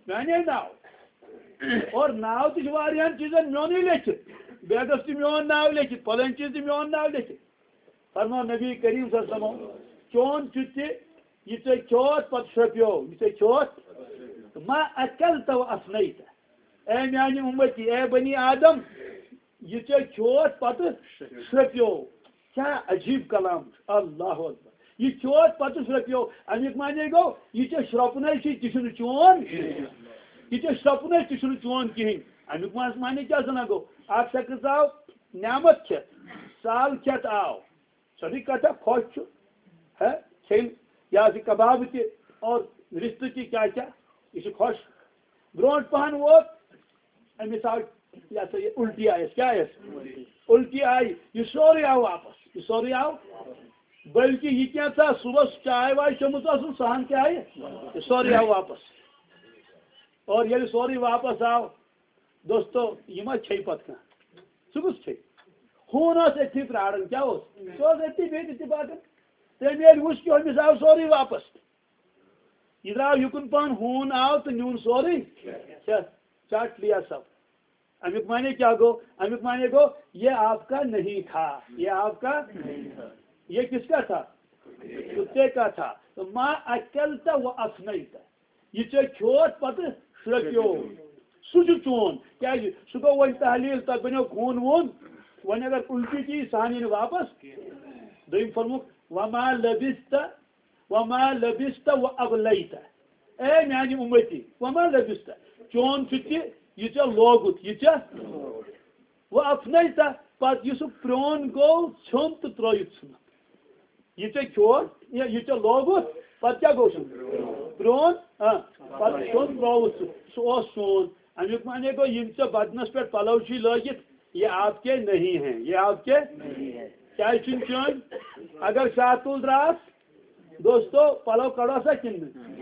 میٛانے ناو۔ اور ناو تہِ چھُ واریاہَن چیٖزَن میونُے لیکھِتھ، بیگَس تہِ میون ناو لیکھِتھ، فلٲنۍ چیٖز تہِ میون ناو لیکھِتھ۔" فرموو نبی کریم صلی اللہ علیہ وسلم، "چون چھُ تہِ، یہِ ژےٚ کھیوتھ پتہٕ شرٛپیو، یہِ ژےٚ کھیوتھ، ما اکلت و افنیت۔ اے میانہِ اُمتی، اے بنی آدم، یہِ ژےٚ کھیوتھ پتہٕ شرٛپیو۔" کیٛاہ عجیٖب کلام چھُ، اللہ اکبر۔ یہِ کھیوتھ پتہٕ شرٛپیو، امیُک معنی گوٚو، یہِ ژےٚ شرٛپُنے چھُے، تہِ چھُنہٕ چون، یہِ ژےٚ شرٛپُنے، تہِ چھُنہٕ چون کِہیٖنۍ۔ امیُک معنی کیٛاہ زنان گوٚو؟ اکھ شخص آو نعمت کھٮ۪تھ، سال کھٮ۪تھ آو، سیوٚدُے کتھا، خۄش چھُ۔ ہے، کھیٚنۍ، یہِ حظ یہِ کباب تہِ اور رِستہٕ تہِ، کیٛاہ کیٛاہ، یہِ چھُ خۄش۔ برونٛٹھ پہن ووت، أمِس آو، یہِ ہسا یہِ اُلٹی آیَس۔ کیٛاہ آیَس؟ اُلٹی آیہِ۔ یہِ سورُے آو واپس۔ یہِ سورُے آو۔ بلکہِ یہِ کینٛژھا صُبحس چاے واے چٔمٕژ ٲسٕن، سۄ ہن تہِ آیہِ۔ یہِ سورُے آو واپس۔ اور ییٚلہِ سورُے واپس آو، دوستو، یہِ ما چھے پتہٕ کانٛہہ؟ سُہ کُس چھے؟ ہوٗن اوس أتھی پرٛاران، کیٛاہ اوس؟ سُہ اوس أتھی بِہِتھ، أتھی باقٕے۔ تٔمۍ ییٚلہِ وُچھ کہِ أمِس آو سورُے واپس۔ یہِ درٛاو یُکُن پہن، ہوٗن آو تہٕ نیوٗن سورُے۔ چھا؟ چٹ لیا سب۔ امیُک معنی کیٛاہ گوٚو؟ امیُک معنی گوٚو، یہ آپ کا نہیں تھا، یہ آپ کا، یہ کس کا تھا؟ کتے کا تھا۔ تو ما اکلت و افنیت۔ یہِ ژےٚ کھیوتھ پتہٕ شرٛپیو، سُہ چھُ چون۔ کیٛازِ؟ سُہ گوٚو وۄنۍ تحلیل، تۄہہِ بنیو خوٗن ووٗن۔ وۄنۍ اگر اُلٹی تہِ یی، سۄ ہن یی نہٕ واپس۔ دوٚیِم فرمووُکھ، "وما لبثت، وما لبثت و ابلیت۔" اے میانہِ اُمتی، وما لبثت، چون چھُ تہِ، یہِ ژےٚ لوگُت، یہِ ژےٚ و افنیت، پتہٕ یُس سُہ پرٛون گوٚو، ژھیوٚن تہٕ ترٛٲوِتھ ژھُنُن۔ یہِ ژےٚ کھیوٚوُتھ، یہِ، یہِ ژےٚ لوگُتھ، پتہٕ کیٛاہ گوٚو سُہ؟ پرٛون ہاں، پتہٕ سیوٚن ترٛووُتھ سُہ، سُہ اوس سون۔ اَمیُک معنی گوٚو، یِم ژےٚ بدنس پٮ۪ٹھ پلو چھُے لٲگِتھ، یہ آپ کے نہیں ہیں، یہ آپ کے کیٛازِ چھُنہٕ چٲنۍ؟ اگر شاہ تُل درٛاس، دوستو، پلو کڑوسا کِنہٕ نہٕ؟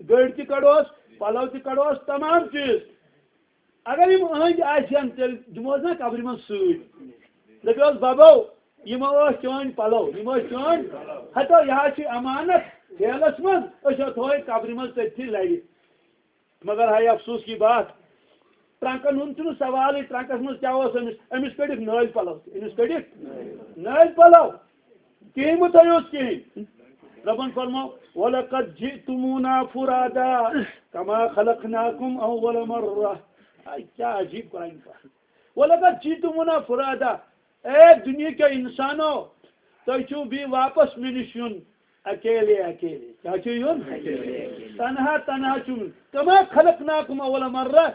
گٔرۍ تہِ کڑوس، پلو تہِ کڑوس، تمام چیٖز۔ اگر یِم أہنٛدۍ آسہِ ہن، تیٚلہِ دِمہوس نا قبرِ منٛز سۭتۍ۔ دٔپِوس، "ببو، یِم ٲسۍ چٲنۍ پلو، یِم ٲسۍ چٲنۍ، ہتو، یہِ حظ چھِ امانت جیلس منٛز، أسۍ ہا تھووے قبرِ منٛز تٔتھی لرِ۔" مگر ہاے افسوس کی بات، ٹرنکن ہُنٛد چھُنہٕ سوالٕے، ٹرنکس منٛز کیٛاہ اوس أمِس؟ أمِس کٔڑِکھ نٲلۍ پلو تہِ، أمِس کٔڑِکھ نٲلۍ پلو۔ کِہیٖنۍ مہٕ تھٲیوس کِہیٖنۍ۔ رۄبن فرموو، "وَلَقَدْ جِئْتُمُونَا فُرَادَىٰ كَمَا خَلَقْنَاكُمْ أَوَّلَ مَرَّةٍ۔" آے، کیٛاہ عجیٖب قرآن پاک۔ "وَلَقَدْ جِئْتُمُونَا فُرَادَىٰ۔" اے دُنیا کیو اِنسانو، تۄہہِ چھُو بیٚیہِ واپس مےٚ نِش یُن اکیلے اکیلے۔ کیٛاہ چھُ یُن؟ تنہا تنہا چھُ یُن۔ "كَمَا خَلَقْنَاكُمْ أَوَّلَ مَرَّةٍ۔"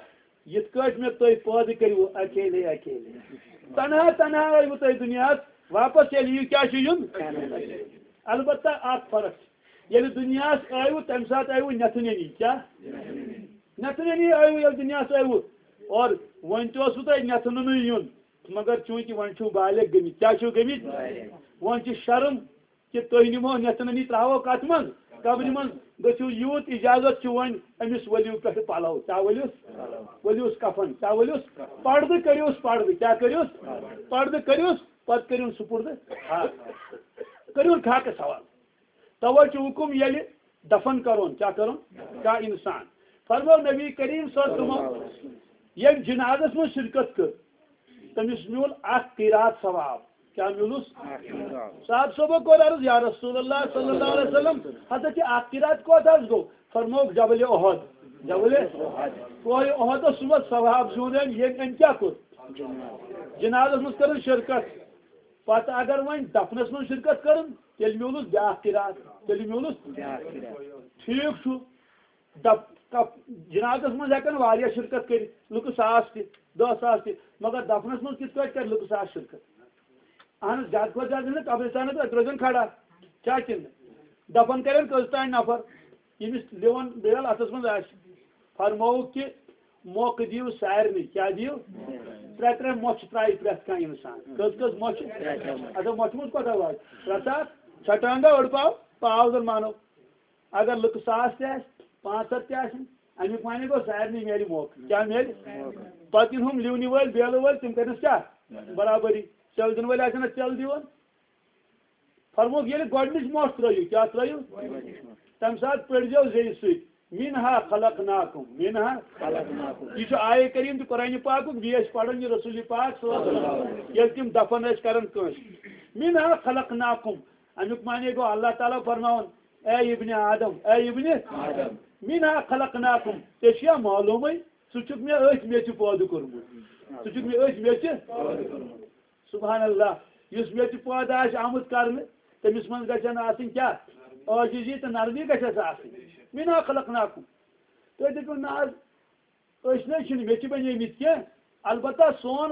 یِتھ کٲٹھۍ مےٚ تُہۍ پٲدٕ کٔرِو اکیلے اکیلے۔ تنہا تنہا ٲیوٕ تُہۍ دُنیاہس، واپس ییٚلہِ یِیِو کیٛاہ چھُ یُن؟ البتہ اکھ فرق چھِ، ییٚلہِ دُنیاہس ٲیوٕ، تمہِ ساتہٕ ٲیوٕ نٮ۪تھٕ نٮ۪نی۔ کیٛاہ؟ نٮ۪تھٕ نٮ۪نی ٲیوٕ، ییٚلہِ دُنیاہس ٲیوٕ۔ اور وۄنۍ تہِ اوسوٕ تۄہہِ نٮ۪تھٕ نُنٕے یُن، مگر چوٗنٛکہِ وۄنۍ چھِو بالغ گٔمٕتۍ۔ کیٛاہ چھِو گٔمٕتۍ؟ وۄنۍ چھِ شرم کہِ تُہۍ نِمو نٮ۪تھٕ نٔنی ترٛاوو کتھ منٛز؟ قبرِ منٛز۔ گٔژھِو یوٗت اجازت چھُ وۄنۍ أمِس ؤلِو پٮ۪ٹھٕ پلو۔ کیٛاہ ؤلِوس؟ ؤلِوس کفن۔ کیٛاہ ؤلِوس؟ پردٕ کٔرِوس پردٕ۔ کیٛاہ کٔرِوس؟ پردٕ کٔرِوس، پتہٕ کٔرِوُن سُپُردٕ۔ ہا۔ کٔرِوُن خاکس حوالہٕ۔ توے چھُ حُکُم ییٚلہِ دفن کرون، کیٛاہ کرون؟ کانٛہہ انسان۔ فرموو نبی کریم صلی اللہ علیہ وسلم، ییٚمۍ جنازس منٛز شرکت کٔر، تٔمِس میوٗل اکھ قیرات ثواب۔ کیٛاہ میوٗلُس؟ صاحب صٲبو کوٚر عرض، "یا رسول اللہ صلی اللہ علیہ وسلم، ہسا چھِ اکھ قیرات کوتاہ حظ گوٚو؟" فرمووُکھ، "جبل احد۔" جبل کوہ احدس سُمت ثواب زیوٗن أمۍ، ییٚمۍ أمۍ کیٛاہ کوٚر؟ جنازس منٛز کٔرٕن شرکت۔ پتہٕ اگر وۄنۍ دفنس منٛز شرکت کٔرٕن، تیٚلہِ میوٗلُس بیٛاکھ قیرات، تیٚلہِ میوٗلُس۔ ٹھیٖک چھُ۔ دپ-، کپ-، جنازس منٛز ہٮ۪کن واریاہ شرکت کٔرِتھ، لُکہٕ ساس تہِ، دہ ساس تہِ، مگر دفنس منٛز کِتھ پٲٹھۍ کرِ لُکہٕ ساس شرکت؟ اہن حظ، زیادٕ کھۄتہٕ زیادٕ چھِنہٕ قبرستانس پٮ۪ٹھ درٛوزن کھڑا، کیٛاہ کِنہٕ؟ دفن کرن کٔژ تام نفر، ییٚمِس لِوَن بیل اتھس منٛز آسہِ۔ فرمووُکھ کہِ موقعہٕ دِیِو سارنٕے، کیٛاہ دِیِو؟ ترٛےٚ ترٛےٚ مۄچھِ ترٛایہِ پرٛٮ۪تھ کانٛہہ انسان۔ کٔژ کٔژ مۄچھِ؟ اچھا، مۄچھِ منٛز کوتاہ واتہِ؟ ترٛےٚ ساس؟ چھٹانگا أڑ پاو، پاو زن مانو۔ اگر لُکہٕ ساس تہِ آسہِ، پانٛژھ ہتھ تہِ آسن، امیُک معنی گوٚو سارنٕے میلہِ موقعہٕ۔ کیٛاہ میلہِ؟ پتہٕ یِن ہُم لِونہِ وٲلۍ، بیلہٕ وٲلۍ، تِم کرنس کیٛاہ؟ برابری۔ ژٮ۪ل دِنہٕ وٲلۍ آسن اتھ ژٮ۪ل دِوان۔ فرمووُکھ، ییٚلہِ گۄڈٕنِچ مۄٹھ ترٲیِو، کیٛاہ ترٲیِو؟ تمہِ ساتہٕ پٔرۍزیو زیٚیہِ سۭتۍ، "منها خلقناکم، منها خلقناکم۔" یہِ چھُ آیہِ کریم تہٕ قرآنِ پاکُک، بیٚیہِ ٲسۍ پران یہِ رسول پاک صلی اللہ علیہ وسلم، ییٚلہِ تِم دفن ٲسۍ کران کٲنٛسہِ۔ "منها خلقناکم۔" امیُک معنی گوٚو اللہ تعالیٰ فرماوان، "اے ابن آدم، اے ابن آدم، منها خلقناکم۔" ژےٚ چھُیا معلومٕے؟ ژٕ چھُکھ مےٚ أتھۍ میٚژِ پٲدٕ کوٚرمُت۔ ژٕ چھُکھ مےٚ أتھۍ میٚژِ۔ سبحان اللہ۔ یُس میٚژِ پٲدٕ آسہِ آمُت کرنہٕ، تٔمِس منٛز گژھن آسٕنۍ کیٛاہ؟ عاجزی تہٕ نرمی گژھٮ۪س آسٕنۍ۔ "منها خلقناکم۔" تُہۍ دٔپِو، نہ حظ، أسۍ نہ حظ چھِنہٕ میٚژِ بَنیمٕتۍ کینٛہہ۔ البتہ سون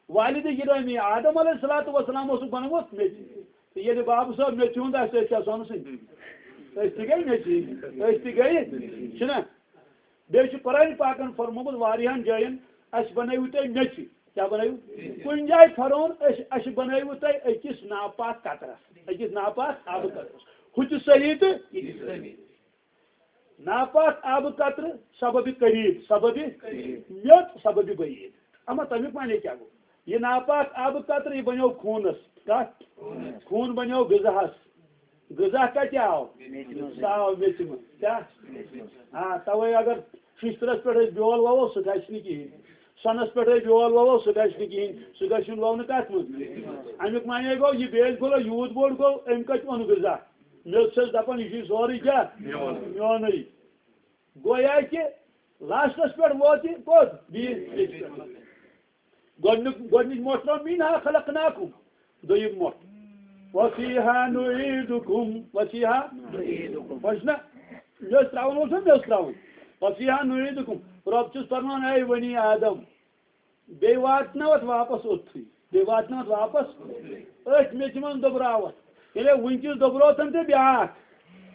والد گرامی آدم علیہ الصلوۃ والسلام اوسُکھ بنومُت میٚژِ۔ تہٕ ییٚلہِ بابہٕ صٲب میٚژِ ہُنٛد آسہِ، أسۍ کیٛاہ سونہٕ سٕنٛدۍ؟ أسۍ تہِ گٔے میٚژِ ہِنٛدۍ۔ أسۍ تہِ گٔے، چھِنہ؟ بیٚیہِ چھُ قرآنِ پاکن فرمومُت واریاہن جاین، "اَسہِ بنٲوِو تُہۍ میٚژِ۔" کیٛاہ بنٲوِو؟ کُنہِ جایہِ فرعون، "أسۍ، اَسہِ بنٲوِو تُہۍ أکِس ناپاک قطرس، أکِس ناپاک آبہٕ قطرس۔" ہُہ تہِ صحیح تہٕ یہِ تہِ صحیح۔ ناپاک آبہٕ قطرٕ سببِ قریب، سببِ میوٚت، سببِ بعید۔ اما تَمیُک معنی کیٛاہ گوٚو؟ یہِ ناپاک آبہٕ قطرٕ، یہِ بنیو خوٗنس۔ کتھ؟ خوٗن بنیو غذاہس۔ غذا کتہِ آو؟ میٚژِ منٛز۔ سُہ آو میٚژِ منٛز۔ کیٛاہ؟ میٚژِ منٛز۔ آ، توے اگر ششترس پٮ۪ٹھ أسۍ بیول ووو، سُہ گژھِ نہٕ کِہیٖنۍ۔ سۄنس پٮ۪ٹھ أسۍ بیول ووو، سُہ گژھِ نہٕ کِہیٖنۍ۔ سُہ گژھِ یُن وونہٕ کتھ منٛز؟ میٚژِ منٛز۔ امیُک معنی گوٚو، یہِ بیٚیہِ پھوٚلہ یوٗت بوٚڑ گوٚو، أمۍ کتہِ اوٚن غذا؟ میٚژ چھس دپان، یہِ چھُے سورُے کیٛاہ؟ میون۔ میونُے۔ گویا کہِ لاسٹس پٮ۪ٹھ ووت یہِ کوٚت؟ بیٚیِس بیٚکِس پٮ۪ٹھ۔ گۄڈٕنیُک، گۄڈٕنِچ مۄٹھ ترٲو، "منها خلقناکم"۔ دوٚیِم مۄٹھ، "وفیہا نعیدکم"۔ وفیہا نعیدکم۔ وۄنۍ چھُنہ مےٚ اوس ترٛاوُن، اوس نہ مےٚ اوس ترٛاوُن۔ "وفیہا نعیدکم"۔ رۄب چھُس فرمان، اے بنی آدم، بیٚیہِ واتناو اتھ واپس اوٚتتھٕے، بیٚیہِ واتناو اتھ واپس أتھۍ میٚژِ منٛز دۄبراو اتھ۔ ییٚلہِ وٕنکیٚس دۄبروتھن تہِ بیٛاکھ،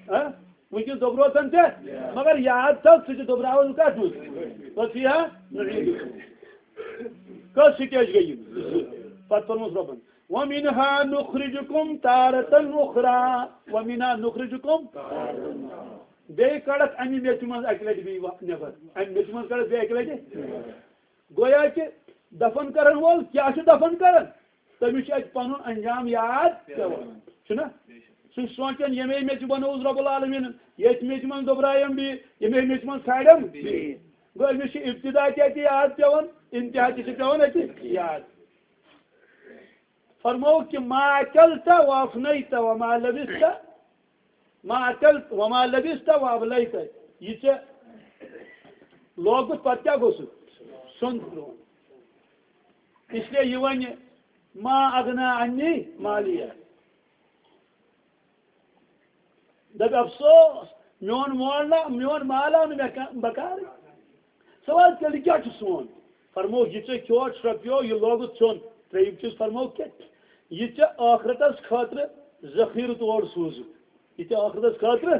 ہہ؟ وٕنکیٚس دۄبروتن ژےٚ، مگر یاد تھاو، ژٕ تہِ دۄبراوَن کَتھ منٛز؟ پَتہٕ چھُ یہِ ہا نعیٖد۔ کٔژ سِٹیج گٔے یِم؟ پَتہٕ پوٚرمُت رۄبَن۔ وَمِنْهَا نُخْرِجُكُمْ تَارَةً أُخْرَىٰ۔ وَمِنْهَا نُخْرِجُكُمْ۔ بیٚیہِ کَڑَکھ اَمہِ میٚژِ منٛز اَکہِ لَٹہِ بیٚیہِ وا-، نٮ۪بر۔ اَمہِ میٚژِ منٛز کَڑَکھ بیٚیہِ اَکہِ لَٹہِ۔ گویا کہِ دفن کرن وول کیٛاہ چھُ دفن کران؟ تٔمِس چھُ اَتہِ پنُن انجام یاد پٮ۪وان، چھُنہ؟ سُہ چھُ سونٛچان، ییٚمے میٚژِ بنووُس رۄب العالمیٖنن، ییٚتھۍ میٚژِ منٛز دۄبرایم بیٚیہِ، ییٚمے میٚژِ منٛز کھالیم بیٚیہِ۔ گوٚو أمِس چھُ ابتدا تہِ اَتہِ یاد پٮ۪وان، انتہا تہِ چھُ پٮ۪وان اَتہِ یاد۔ فرمووُکھ کہِ ما اکلت و افنیت و ما لبست، ما اکلت و ما لبست و ابلیت۔ یہِ ژےٚ لوگُت پتہٕ کیٛاہ گوٚو سُہ؟ سیوٚن ترٛووُن۔ اس لیے یہِ وَنہِ ما اغنا عنی مالیہ۔ دَپہِ افسوس، میون مول نہ، میون مال آو نہٕ مےٚ کا-، بکارٕے۔ سوال تیٚلہِ کیٛاہ چھُ سون؟ فرمووُکھ، یہِ ژےٚ کھیوٚو، شرٛپیو، یہِ لوگُت ژھیوٚن۔ ترٛیٚیِم چیٖز فرمووُکھ کہِ یہِ ژےٚ ٲخرتس خٲطرٕ ذخیرٕ تور سوٗزُکھ، یہِ ژےٚ ٲخرتس خٲطرٕ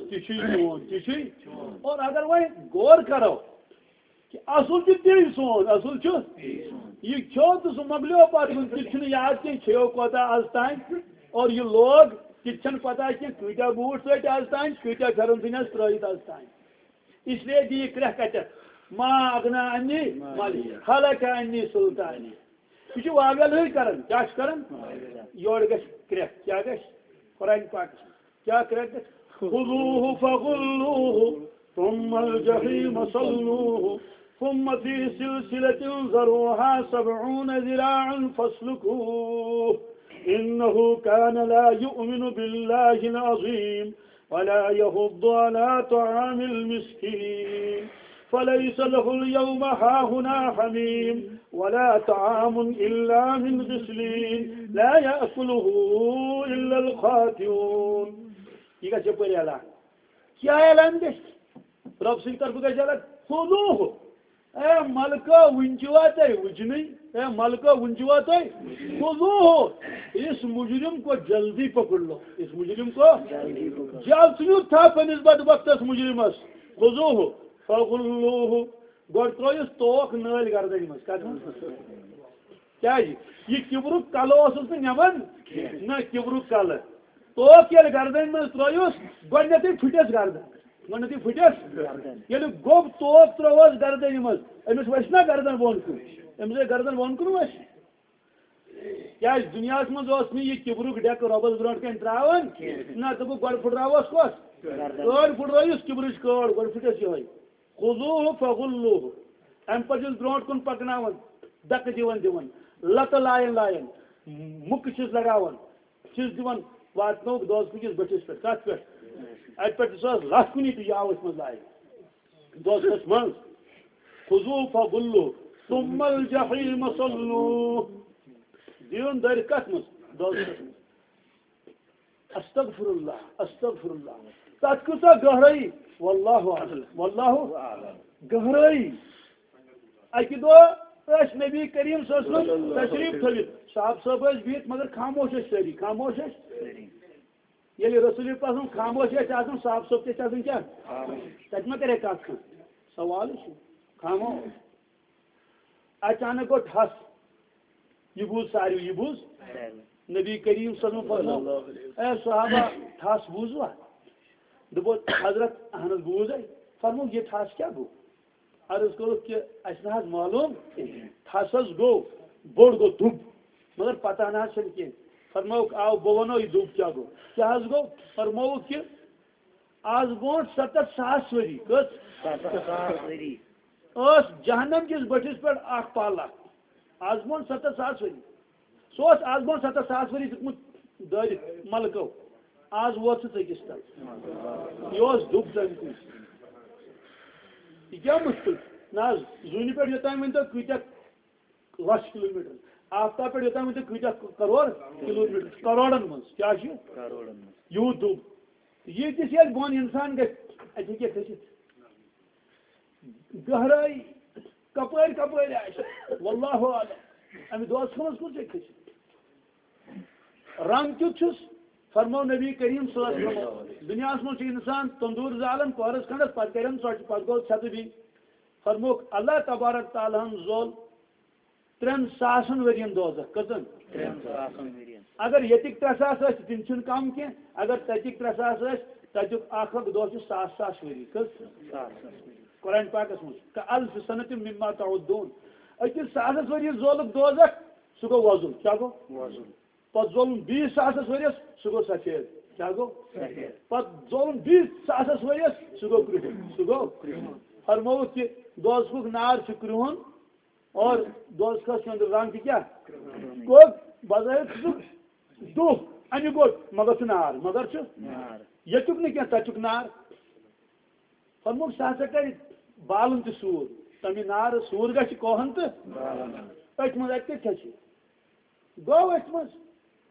تہِ چھُے چون، تہِ چھُے۔ اور اگر وۄنۍ غور کرو، کہِ اصل چھُ تی سون، اصل چھُ۔ یہِ کھیوٚو تہٕ سُہ مۄکلیو پتہٕ کُن، تہِ چھُنہٕ یاد کینٛہہ کھیوٚو کوتاہ از تام۔ اور یہِ لوگ، تہِ تہِ چھَنہٕ پتہ کینٛہہ کۭتیٛاہ بوٗٹھ ژٔٹۍ از تام، کۭتیٛاہ پھٮ۪رن ژھٕنۍ از ترٛٲیِتھ از تام۔ اس لیے دی یہِ کرٛٮ۪کھ کتٮ۪تھ، ما اغنا عنی مالی، ہلک عنی سلطانی۔ یہِ چھُ واویل ہٕے کران، کیٛاہ چھُ کران؟ یورٕ گژھِ کرٛٮ۪کھ، کیٛاہ گژھِ؟ قرآن پاکس منٛز۔ کیا کرے؟ خذوه فغلوه ثم الجحيم صلوه ثم في سلسلة ذرعها سبعون ذراعا فاسلكوه إنه كان لا يؤمن بالله العظيم ولا يحض على طعام المسكين فليس له اليوم هاهنا حميم ولا طعام إلا من غسلين لا يأكله إلا الخاطئون۔ یہِ گژھِ یَپٲرۍ اعلان۔ کیٛاہ اعلان گژھِ؟ رۄب سٕنٛدِ طرفہٕ گژھِ اعلان، خذوه۔ اے ملکہ، وُنہِ چھِوا تُہۍ وُچھنٕے؟ اے ملکہ، وُنہِ چھِوا تُہۍ؟ خذوه۔ اس مجرم کو جلدی پکڑ لو۔ اس مجرم کو جلد ژھٕنِو تھپھ أمِس بدبختس مجرمس۔ خذوه فغلوه۔ گۄڈٕ ترٲیِس توکھ نٲلۍ گردنہِ منٛز۔ کتھ منٛز؟ کیٛازِ؟ یہِ کِبرُک کلہٕ اوسُس نہٕ نِوان۔ نہ، کِبرُک کلہٕ۔ توکھ ییٚلہِ گردنہِ منٛز ترٲیِس، گۄڈٕنیتھٕے پھٕٹِس گردن۔ گۄڈٕنیتھٕے پھٕٹِس۔ گردن۔ ییٚلہِ گوٚب توکھ ترٲوہوس گردنہِ منٛز، أمِس وَسہِ نا گردن بۄن کُن؟ أمِس ہے گردن بۄن کُن وَسہِ۔ کیٛازِ دُنیاہَس منٛز اوس نہٕ یہِ کِبرُک ڈٮ۪کہٕ رۄبَس برونٛٹھ کَنہِ ترٛاوان۔ نہ، دوٚپُکھ گۄڈٕ پھٕٹراوہوس کۄس؟ گردن۔ کٔڑ پھٕٹرٲیِس کِبرٕچ کٔڑ، گۄڈٕ پھٕٹِس یِہوٚے۔ خذوه فغلوه۔ اَمہِ پتہٕ چھِس برونٛٹھ کُن پکناوان، دکہٕ دِوان دِوان، لتہٕ لایان لایان، مُکہٕ چھِس لگاوان، چھِس دِوان، واتنووُکھ دوزخہٕ کِس بٔٹھِس پٮ۪ٹھ۔ کتھ پٮ۪ٹھ؟ اتہِ پٮ۪ٹھ دِژہوس لتھ کُنی تہٕ یہِ آو أتھۍ منٛز لایان۔ دوزخس منٛز۔ خذوه فغلوه ثم الجحيم صلوه۔ دیٖوُن دٲرِتھ کتھ منٛز؟ دوزخس منٛز۔ استغفر اللہ، استغفر اللہ۔ تتھ کۭژاہ گہرٲیی؟ واللہ اعلم، واللہ اعلم۔ گہرٲیی۔ اکہِ دۄہ ٲسۍ نبی کریم صلی اللہ علیہ وسلم تشریف تھٲوِتھ، صحابہٕ صٲب ٲسۍ بِہِتھ، مگر خاموش ٲسۍ سٲری، خاموش ٲسۍ۔ ییٚلہِ رسول پاک صلی اللہ علیہ وسلم خاموش ٲسۍ آسان، صحابہٕ صٲب تہِ ٲسۍ آسان کیٛاہ؟ خاموش۔ تتہِ ما کرے کتھ کانٛہہ؟ سوالٕے چھُ۔ خاموش۔ اچانک گوٚو ٹھس۔ یہِ بوٗز ساروٕے، یہِ بوٗز۔ نبی کریم صلی اللہ علیہ وسلم فرموو، "اے صحابہ، ٹھس بوٗزوا؟" دوٚپُکھ، "حضرت، اہن حظ بوٗز اَسہِ۔" فرموو، "یہِ ٹھس کیٛاہ گوٚو؟" عرض کوٚرُکھ کہِ اَسہِ نہ حظ معلوم کِہیٖنۍ۔ ٹھس حظ گوٚو، بوٚڑ گوٚو دُب، مگر پتہ نہ حظ چھَنہٕ کینٛہہ۔ فرمووُکھ، "آو، بہٕ وَنو یہِ دُب کیٛاہ گوٚو۔" کیٛاہ حظ گوٚو؟ فرمووُکھ کہِ آز برونٛٹھ ستتھ ساس ؤری، کٔژ؟ ستتھ ساس ؤری۔ ٲس جہنم کِس بٔٹھِس پٮ۪ٹھ اکھ پل اکھ۔ آز برونٛٹھ ستتھ ساس ؤری۔ سُہ اوس آز برونٛٹھ ستتھ ساس ؤری دیُتمُت دٲرِتھ ملکو۔ آز ووت سُہ ژٔکِس تل۔ یہِ اوس دُب تَمہِ کُے۔ یہِ کیٛاہ مُشکِل؟ نہ حظ، زوٗنہِ پٮ۪ٹھ یوٚتام ؤنۍ تو کۭتیٛاہ لچھ کلوٗمیٹر۔ آفتاب پٮ۪ٹھ یوٚتام ؤنۍ تو کۭتیٛاہ کرور کلوٗمیٹر چھُ؟ کرورن منٛز۔ کیٛاہ چھُ؟ کرورن منٛز۔ یوٗت دُب۔ ییٖتِس ییٚلہِ بۄن اِنسان گژھِ، اَتہِ ہیٚکہِ کھٔسِتھ۔ گہرٲیی، کپٲرۍ کپٲرۍ آسہِ، واللہ اعلم۔ اَمہِ دۄہ ژھٕنس کُن ژےٚ کھٔسِتھ۔ رنٛگ کیُتھ چھُس؟ فرمو نبی کریم صلی اللہ علیہ وسلم، دنیاہس منٛز چھُ انسان تندور زالان پہرس کھنڈس، پتہٕ کرن ژۄچہِ، پتہٕ گوٚو ژھٮ۪تہٕ بیٚیہِ۔ فرمووُکھ، اللہ تبارک تعالیٰ ہن زول ترٛٮ۪ن ساسن ؤرین دوزخ۔ کٔژن؟ ترٛٮ۪ن ساسن ؤرین۔ اگر ییٚتِکۍ ترٛےٚ ساس ٲسۍ، تِم چھِنہٕ کم کینٛہہ۔ اگر تتِکۍ ترٛےٚ ساس ٲسۍ، تتیُک اکھ اکھ دۄہ چھُ ساس ساس ؤری۔ کٔژ؟ ساس ساس ؤری۔ قرآن پاکس منٛز، "کالف سنت مما تعدون"۔ أکِس ساسس ؤرین زولُکھ دوزخ، سُہ گوٚو وۄزُل۔ کیٛاہ گوٚو؟ وۄزُل۔ پتہٕ زولُن بیٚیِس ساسس ؤریس، سُہ گوٚو سفید۔ کیٛاہ گوٚو؟ سفید۔ پتہٕ زولُن بیٚیِس ساسس ؤریس، سُہ گوٚو کرٛہُن۔ سُہ گوٚو کرٛہُن۔ فرمووُکھ کہِ دوزخُک نار چھُ کرٛہُن اور دوزخس چھُ أنٛدرٕ رنٛگ تہِ کیٛاہ؟ کرٛہُن۔ گوٚو بظٲہِر چھُ سُہ دُہ، اَمیُک گوٚو، مگر چھُ نار، مگر چھُ نار۔ ییٚتیُک نہٕ کینٛہہ، تَتیُک نار۔ فرمووُکھ، سُہ ہسا کرِ بالُن تہِ سوٗر۔ تَمہِ نارٕ سوٗر گژھِ کوہن تہٕ أتھۍ منٛز، اَتہِ کَتہِ چھِ؟ گوٚو أتھۍ منٛز۔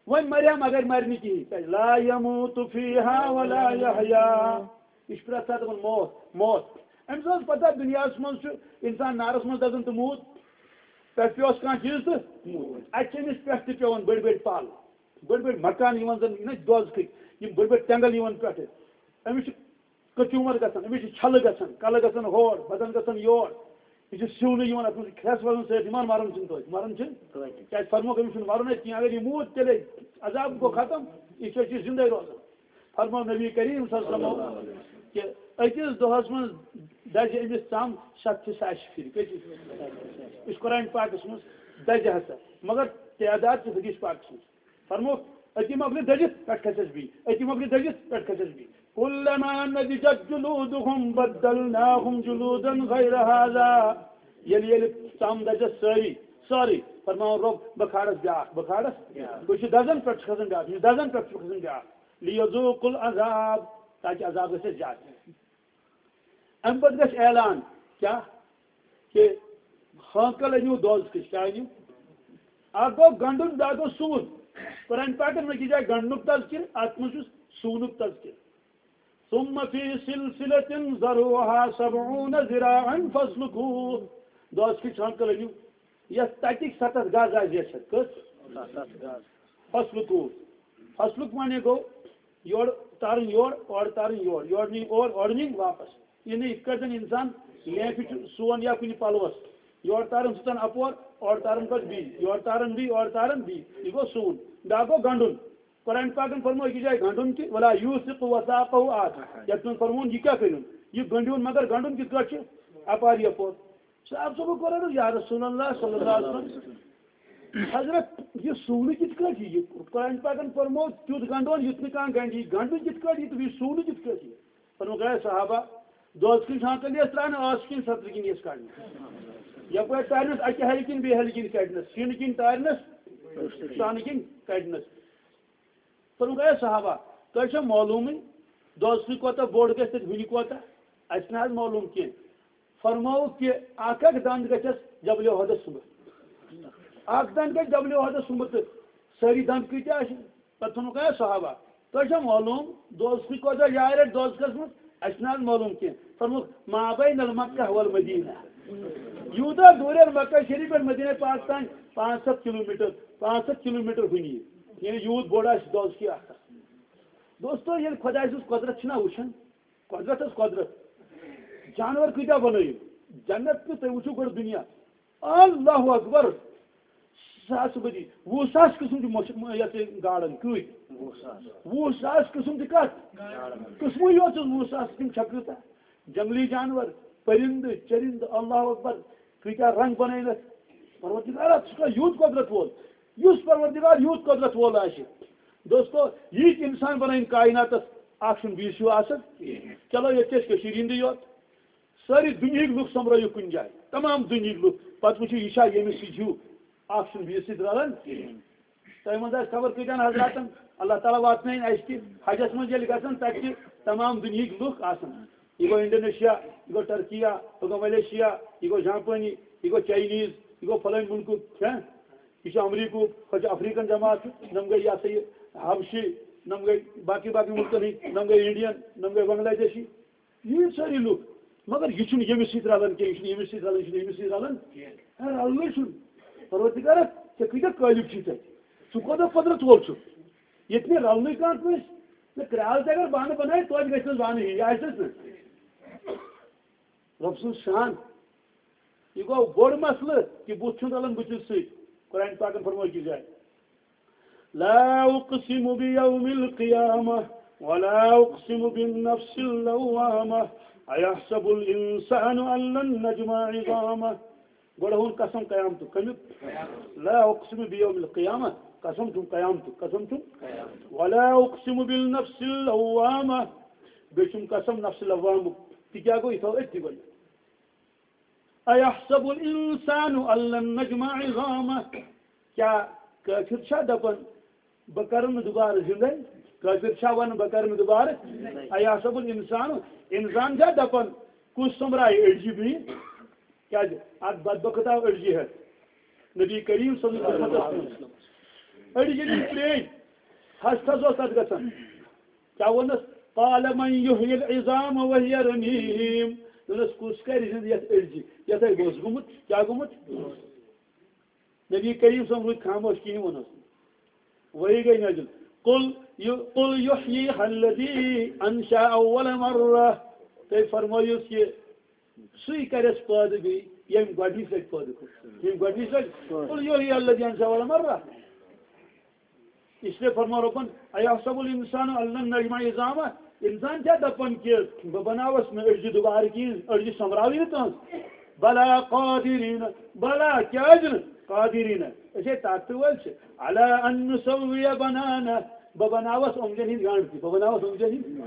وۄنۍ مرِ ہا مگر مرِ نہٕ کِہیٖنۍ۔ کیٛازِ؟ لا یموت فیہا ولا یحیا۔ یہِ چھُ پرٛٮ۪تھ ساتہٕ دَپان موت، موت۔ أمِس ٲس پتہ دُنیاہَس منٛز چھُ اِنسان نارَس منٛز دَزان تہٕ موٗد۔ پٮ۪ٹھٕ پیوس کانٛہہ چیٖز تہٕ موٗد۔ اَتہِ چھِ أمِس پٮ۪ٹھ تہِ پٮ۪وان بٔڑۍ بٔڑۍ پَل، بٔڑۍ بٔڑۍ مکان یِوان زَن یِنَے دۄزخٕکۍ، یِم بٔڑۍ بٔڑۍ تٮ۪نٛگَل یِوان پٮ۪ٹھٕ۔ أمِس چھِ کچوٗمر گژھان، أمِس چھِ چھلہٕ گژھان، کلہٕ گژھان ہور، بدن گژھان یور۔ یہِ چھُ سِونہٕ یِوان، اَتھ منٛز چھُ کھرٛٮ۪س وزن سۭتۍ، یِوان مَرُن چھُنہٕ توتہِ، مَرُن چھُنہٕ۔ توتہِ۔ کیٛازِ فرمووُکھ أمِس چھُنہٕ مَرُن اَتہِ کینٛہہ، اگر یہِ موٗد تیٚلے عذاب گوٚو ختم، یہِ چھُ، یہِ چھُ زِندَے روزان۔ فرموو نبی کریم صلی اللہ علیہ وسلم کہِ أکِس دۄہَس منٛز دَزِ أمِس ژَم ستہِ ساسہِ پھِرِ۔ کۭتِس؟ یہِ چھُ قرآن پاکَس منٛز دَزِ ہسا، مگر تعداد چھِ حدیث پاکَس منٛز۔ فرمووُکھ، أتی مۄکلہِ دٔزِتھ، پٮ۪ٹھ کھسٮ۪س بیٚیہِ، أتی مۄکلہِ دٔزِتھ، پٮ۪ٹھ کھسٮ۪س بیٚیہِ۔ کُلما نضجت جلودہم بدلناہم جلودا غیر ہذا۔ ییٚلہِ، ییٚلہِ ژَم دَزٮ۪س سٲری، سٲرٕے، فرماوان رۄب، بہٕ کھالَس بیٛاکھ، بہٕ کھالَس۔ بیٛاکھ۔ ہُہ چھُ دَزان، پٮ۪ٹھ چھُ کھسان بیٛاکھ، یہِ چھُ دَزان، پٮ۪ٹھ چھُ کھسان بیٛاکھ۔ لیذوقوا العذاب، تاکہِ عذاب گژھِ اَسہِ زیادٕ۔ اَمہِ پَتہٕ گژھِ اعلان، کیٛاہ؟ کہِ ہانکل أنِو دوزخٕچ، کیٛاہ أنِو؟ اَکھ گوٚو گنٛڈُن، بیٛاکھ گوٚو سُوُن۔ قرآن پاکَن منٛز چھِ جایہِ گنٛڈنُک تذکر، اَتھ منٛز چھُ سُونُک تذکر۔ ثم فی سلسلة ذرعها سبعون ذراعا فاسلکوہ۔ دوزخٕچ ہانکل أنِو، یَتھ تَتِکۍ ستتھ گز آسہِ زیچھر۔ کٔژ؟ ستتھ گز۔ فاسلکوہ۔ فاسلک معنی گوٚو یورٕ تارٕنۍ یورٕ، اورٕ تارٕنۍ یورٕ، یورٕ نِنۍ اورٕ، اورٕ نِنۍ واپس۔ یہِ نہٕ یِتھ کٲٹھۍ زَن اِنسان لیفہِ چھُ سُوان یا کُنہِ پَلوَس، یورٕ تاران سُہ ژَن اَپور، اورٕ تاران پَتہٕ بیٚیہِ، یورٕ تاران بیٚیہِ، اورٕ تاران بیٚیہِ۔ یہِ گوٚو سُوُن۔ بیٛاکھ گوٚو گنٛڈُن۔ قرآن پاکَن فرموو أکِس جایہِ گنٛڈُن تہِ، "ولا یوثق وثاقہ احد"۔ یَتھ منٛز فرمووُن، یہِ کیٛاہ کٔرِو؟ یہِ گنٛڈِوُن، مگر گنٛڈُن کِتھ کٲٹھۍ چھُ؟ اَپارِ یَپور۔ صاحب صٲبَن کوٚر عرض، "یا رسول اللہ صلی اللہ علیہ وسلم، حضرت، یہِ سُونہٕ کِتھ کٲٹھۍ یہِ؟ قرآن پاکَن فرموو تیُتھ گنٛڈون یُتھ نہٕ کانٛہہ گنٛڈِ، یہِ گنٛڈُن کِتھ کٲٹھۍ یہِ تہٕ بیٚیہِ سُونہٕ کِتھ کٲٹھۍ یہِ؟" فرمووُکھ، "اے صحابہ، دۄد کِنۍ چھانٛکَل یَس ترٛاونہٕ، ٲس کِنۍ سَترٕ کِنۍ یَس کَڑنہٕ۔ یَپٲرۍ تَرنَس اَکہِ ہَلہِ کِنۍ بیٚیہِ ہَلہِ کِنۍ کَڑنَس، شیٖنہٕ کِنۍ تارنَس، شانہٕ کِنۍ کَڑنَس۔" فرمووُکھ، "اے صحابہ، تۄہہِ چھا معلومٕے دۄد سُہ کوتاہ بوٚڑ گژھِ تہٕ ہُنہِ کوتاہ؟ اَسہِ نہ حظ معلوم کینٛہہ۔" فرمووُکھ کہِ اَکھ اَکھ دَنٛد گژھٮ۪س جبلِ اُحدَس سُمبُتھ۔ اَکھ دَنٛد گژھِ جبلِ اُحدَس سُمبُتھ تہٕ سٲری دَنٛد کۭتیٛاہ آسن؟ پتہٕ ووٚنُکھ، "اے صحابہ، تۄہہِ چھا معلوم دوزخٕکۍ کوتاہ جاے رَٹہِ دوزخَس منٛز؟ اَسہِ چھُنہٕ حظ معلوم کینٛہہ۔" فرمووُکھ، "ما بین المکہ والمدینہ۔" یوٗتاہ دوٗرٮ۪ن مکہ شریٖف پٮ۪ٹھ مدینہ پاک تام پانٛژھ ہَتھ کِلوٗ میٖٹر، پانٛژھ ہَتھ کِلوٗ میٖٹر ہُنہِ۔ یعنی یوٗت بوٚڑ آسہِ دوزخی اَکھ۔ دوستو، ییٚلہِ خۄداے سٕنٛز قۄدرت چھِنہ وٕچھان، قۄدرت حظ قۄدرت۔ جانور کۭتیٛاہ بَنٲیِو؟ جنت تہٕ تُہۍ وٕچھِو گۄڈٕ دُنیا۔ اللہ اکبر۔ ساسہٕ بٔدی، وُہ ساس قٕسم چھِ مۄچھ-، یَتھ یہِ گاڈَن۔ کۭتۍ؟ وُہ ساس۔ وُہ ساس قٕسم تہِ کَتھ؟ گاڈَن۔ قٕسمٕے یوت چھُس وُہ ساس، تِم چھا کۭژاہ؟ جنگلی جانور، پٔرِندٕ، چٔرِندٕ، اللہ اکبر، کۭتیٛاہ رنٛگ بَنٲوِتھ۔ پروردگارا، ژٕ چھُکھا یوٗت قۄدرت وول؟ یُس پروردگار یوٗت قۄدرت وول آسہِ۔ دوستو، ییٖتۍ اِنسان بَنٲوِن کائناتَس، اَکھ چھُنہٕ بیٚیِس ہیوٗ آسان۔ چلو، ییٚتہِ چھِ أسۍ کٔشیٖرِ ہِنٛدٕے یوت۔ سٲری دُنیہٕکۍ لُکھ سۄمبرٲیِو کُنہِ جایہِ، تمام دُنیہٕکۍ لُکھ، پتہٕ وٕچھِو یہِ چھا ییٚمِس سۭتۍ ہیوٗ، اَکھ چھُنہٕ بیٚیِس سۭتۍ رلان کِہیٖنۍ۔ تۄہہِ منٛز آسہِ خبر کۭتیٛاہَن حضراتَن، اللہ تعالیٰ واتنٲیِن اَسہِ تہِ حجَس منٛز ییٚلہِ گژھن، تَتہِ چھِ تمام دُنیہٕکۍ لُکھ آسان۔ یہِ گوٚو انڈونیشیا، یہِ گوٚو ٹرکیا، یہِ گوٚو ملیشیا، یہِ گوٚو جاپانی، یہِ گوٚو چاینیٖز، یہِ گوٚو فلٲنۍ مُلکُک، ہہ؟ یہِ چھُ امریکہُک، ہۄ چھِ افریقن جماعت، نۄم گٔے یہِ ہسا یہِ حبشی، نۄم گٔے باقٕے باقٕے مُلکَن ہٕنٛدۍ، نۄم گٔے انڈین، نۄم گٔے بنگلہ دیشی۔ ییٖتۍ سٲری لُکھ، مگر یہِ چھُنہٕ ییٚمِس سۭتۍ رلان کینٛہہ، یہِ چھُنہٕ ییٚمِس سۭتۍ رلان، یہِ چھُنہٕ ییٚمِس سۭتۍ رلان کینٛہہ۔ ہے، رلنٕے چھُنہٕ۔ پروردگارا، ژےٚ کۭتیٛاہ قٲلب چھِی تَتہِ؟ ژٕ کوتاہ قۄدرت وول چھُکھ؟ ییٚتہِ نہٕ رلنٕے کانٛہہ کٲنٛسہِ، نہ کرٛال تہِ اگر بانہٕ بنایہِ، توتہِ گژھِ نہٕ بانہٕ یی، آسہِ نہ؟ رۄب سُنٛد شان۔ یہِ گوٚو بوٚڑ مسلہٕ کہِ بُتھ چھُنہٕ رلان بُتھِس سۭتۍ۔ قرآن پاکن فرموو أکِس جایہِ، لا اقسم بیوم القیامہ ولا اقسم بالنفس اللوامہ ایحسب الانسان ان لن نجمع عظامہ۔ گۄڈٕ ہُن قسم قیامتُک، کمیُک؟ لا اقسم بیوم القیامہ، قسم چھُم قیامتُک، قسم چھُم۔ ولا اقسم بالنفس اللوامہ، بیٚیہِ چھُم قسم نفس لوامُک۔ تہِ کیٛاہ گوٚو؟ یہِ تھاو أتھی گۄڈٕ۔ ایحسب الانسان ان لن نجمع عظامہ، کیٛاہ کٲفِر چھا دپان بہٕ کرٕ نہٕ دُبارٕ زِندَے؟ کٲفِر چھا وَنان بہٕ کرٕ نہٕ دُبارٕ؟ ایحسب الانسان، انسان چھا دپان کُس سوٚمبرایہِ أڈجہِ بیٚیہِ؟ کیٛازِ اکھ بدبخت آو أڈجہِ ہٮ۪تھ نبی کریم صلی اللہ علیہ وسلم۔ أڈجہِ نِش پرٛٲنۍ، ہَس تھَس اوس تَتھ گژھان۔ کیٛاہ ووٚنُس؟ قال من یحیی العظام وهی رمیم۔ دوٚپنَس کُس کرِ زِندٕ یَتھ أڈجہِ؟ یَتھ ہے بوٚس گوٚمُت، کیٛاہ گوٚمُت؟ نبی کریم صلی اللہ علیہ وسلم روٗدۍ خاموش، کِہیٖنۍ ووٚنُس نہٕ۔ وۄنۍ گٔے نٲزِل۔ قل یُ-، قل یحییها الذی انشأها اول مرہ۔ تُہۍ فرمٲیِو کہِ سُے کرٮ۪س پٲدٕ بیٚیہِ، ییٚمۍ گۄڈٕنِچ لٹہِ پٲدٕ کوٚر۔ ییٚمۍ گۄڈٕنِچ لٹہِ۔ قل یحییها الذی انشأها اول مرہ۔ اس لیے فرموو رۄبن، ایحسب الانسان ان لن نجمع عظامہ، انسان چھا دپان کہِ بہٕ بناوس نہٕ أڈجہِ دوبارٕ کِہیٖنۍ، أڈجہِ سۄمبراوٕے نہٕ تہنٛز؟ بلا قادرین، بلا کیازِ نہٕ؟ قادرین، أسۍ ہے طاقتہٕ وٲلۍ چھِ۔ علی ان نسوی بنانہ، بہٕ بناوس اوٚنٛگجن ہٕنٛدۍ گنٛڈ تہِ، بہٕ بناوس اوٚنٛگجن ہٕنٛدۍ۔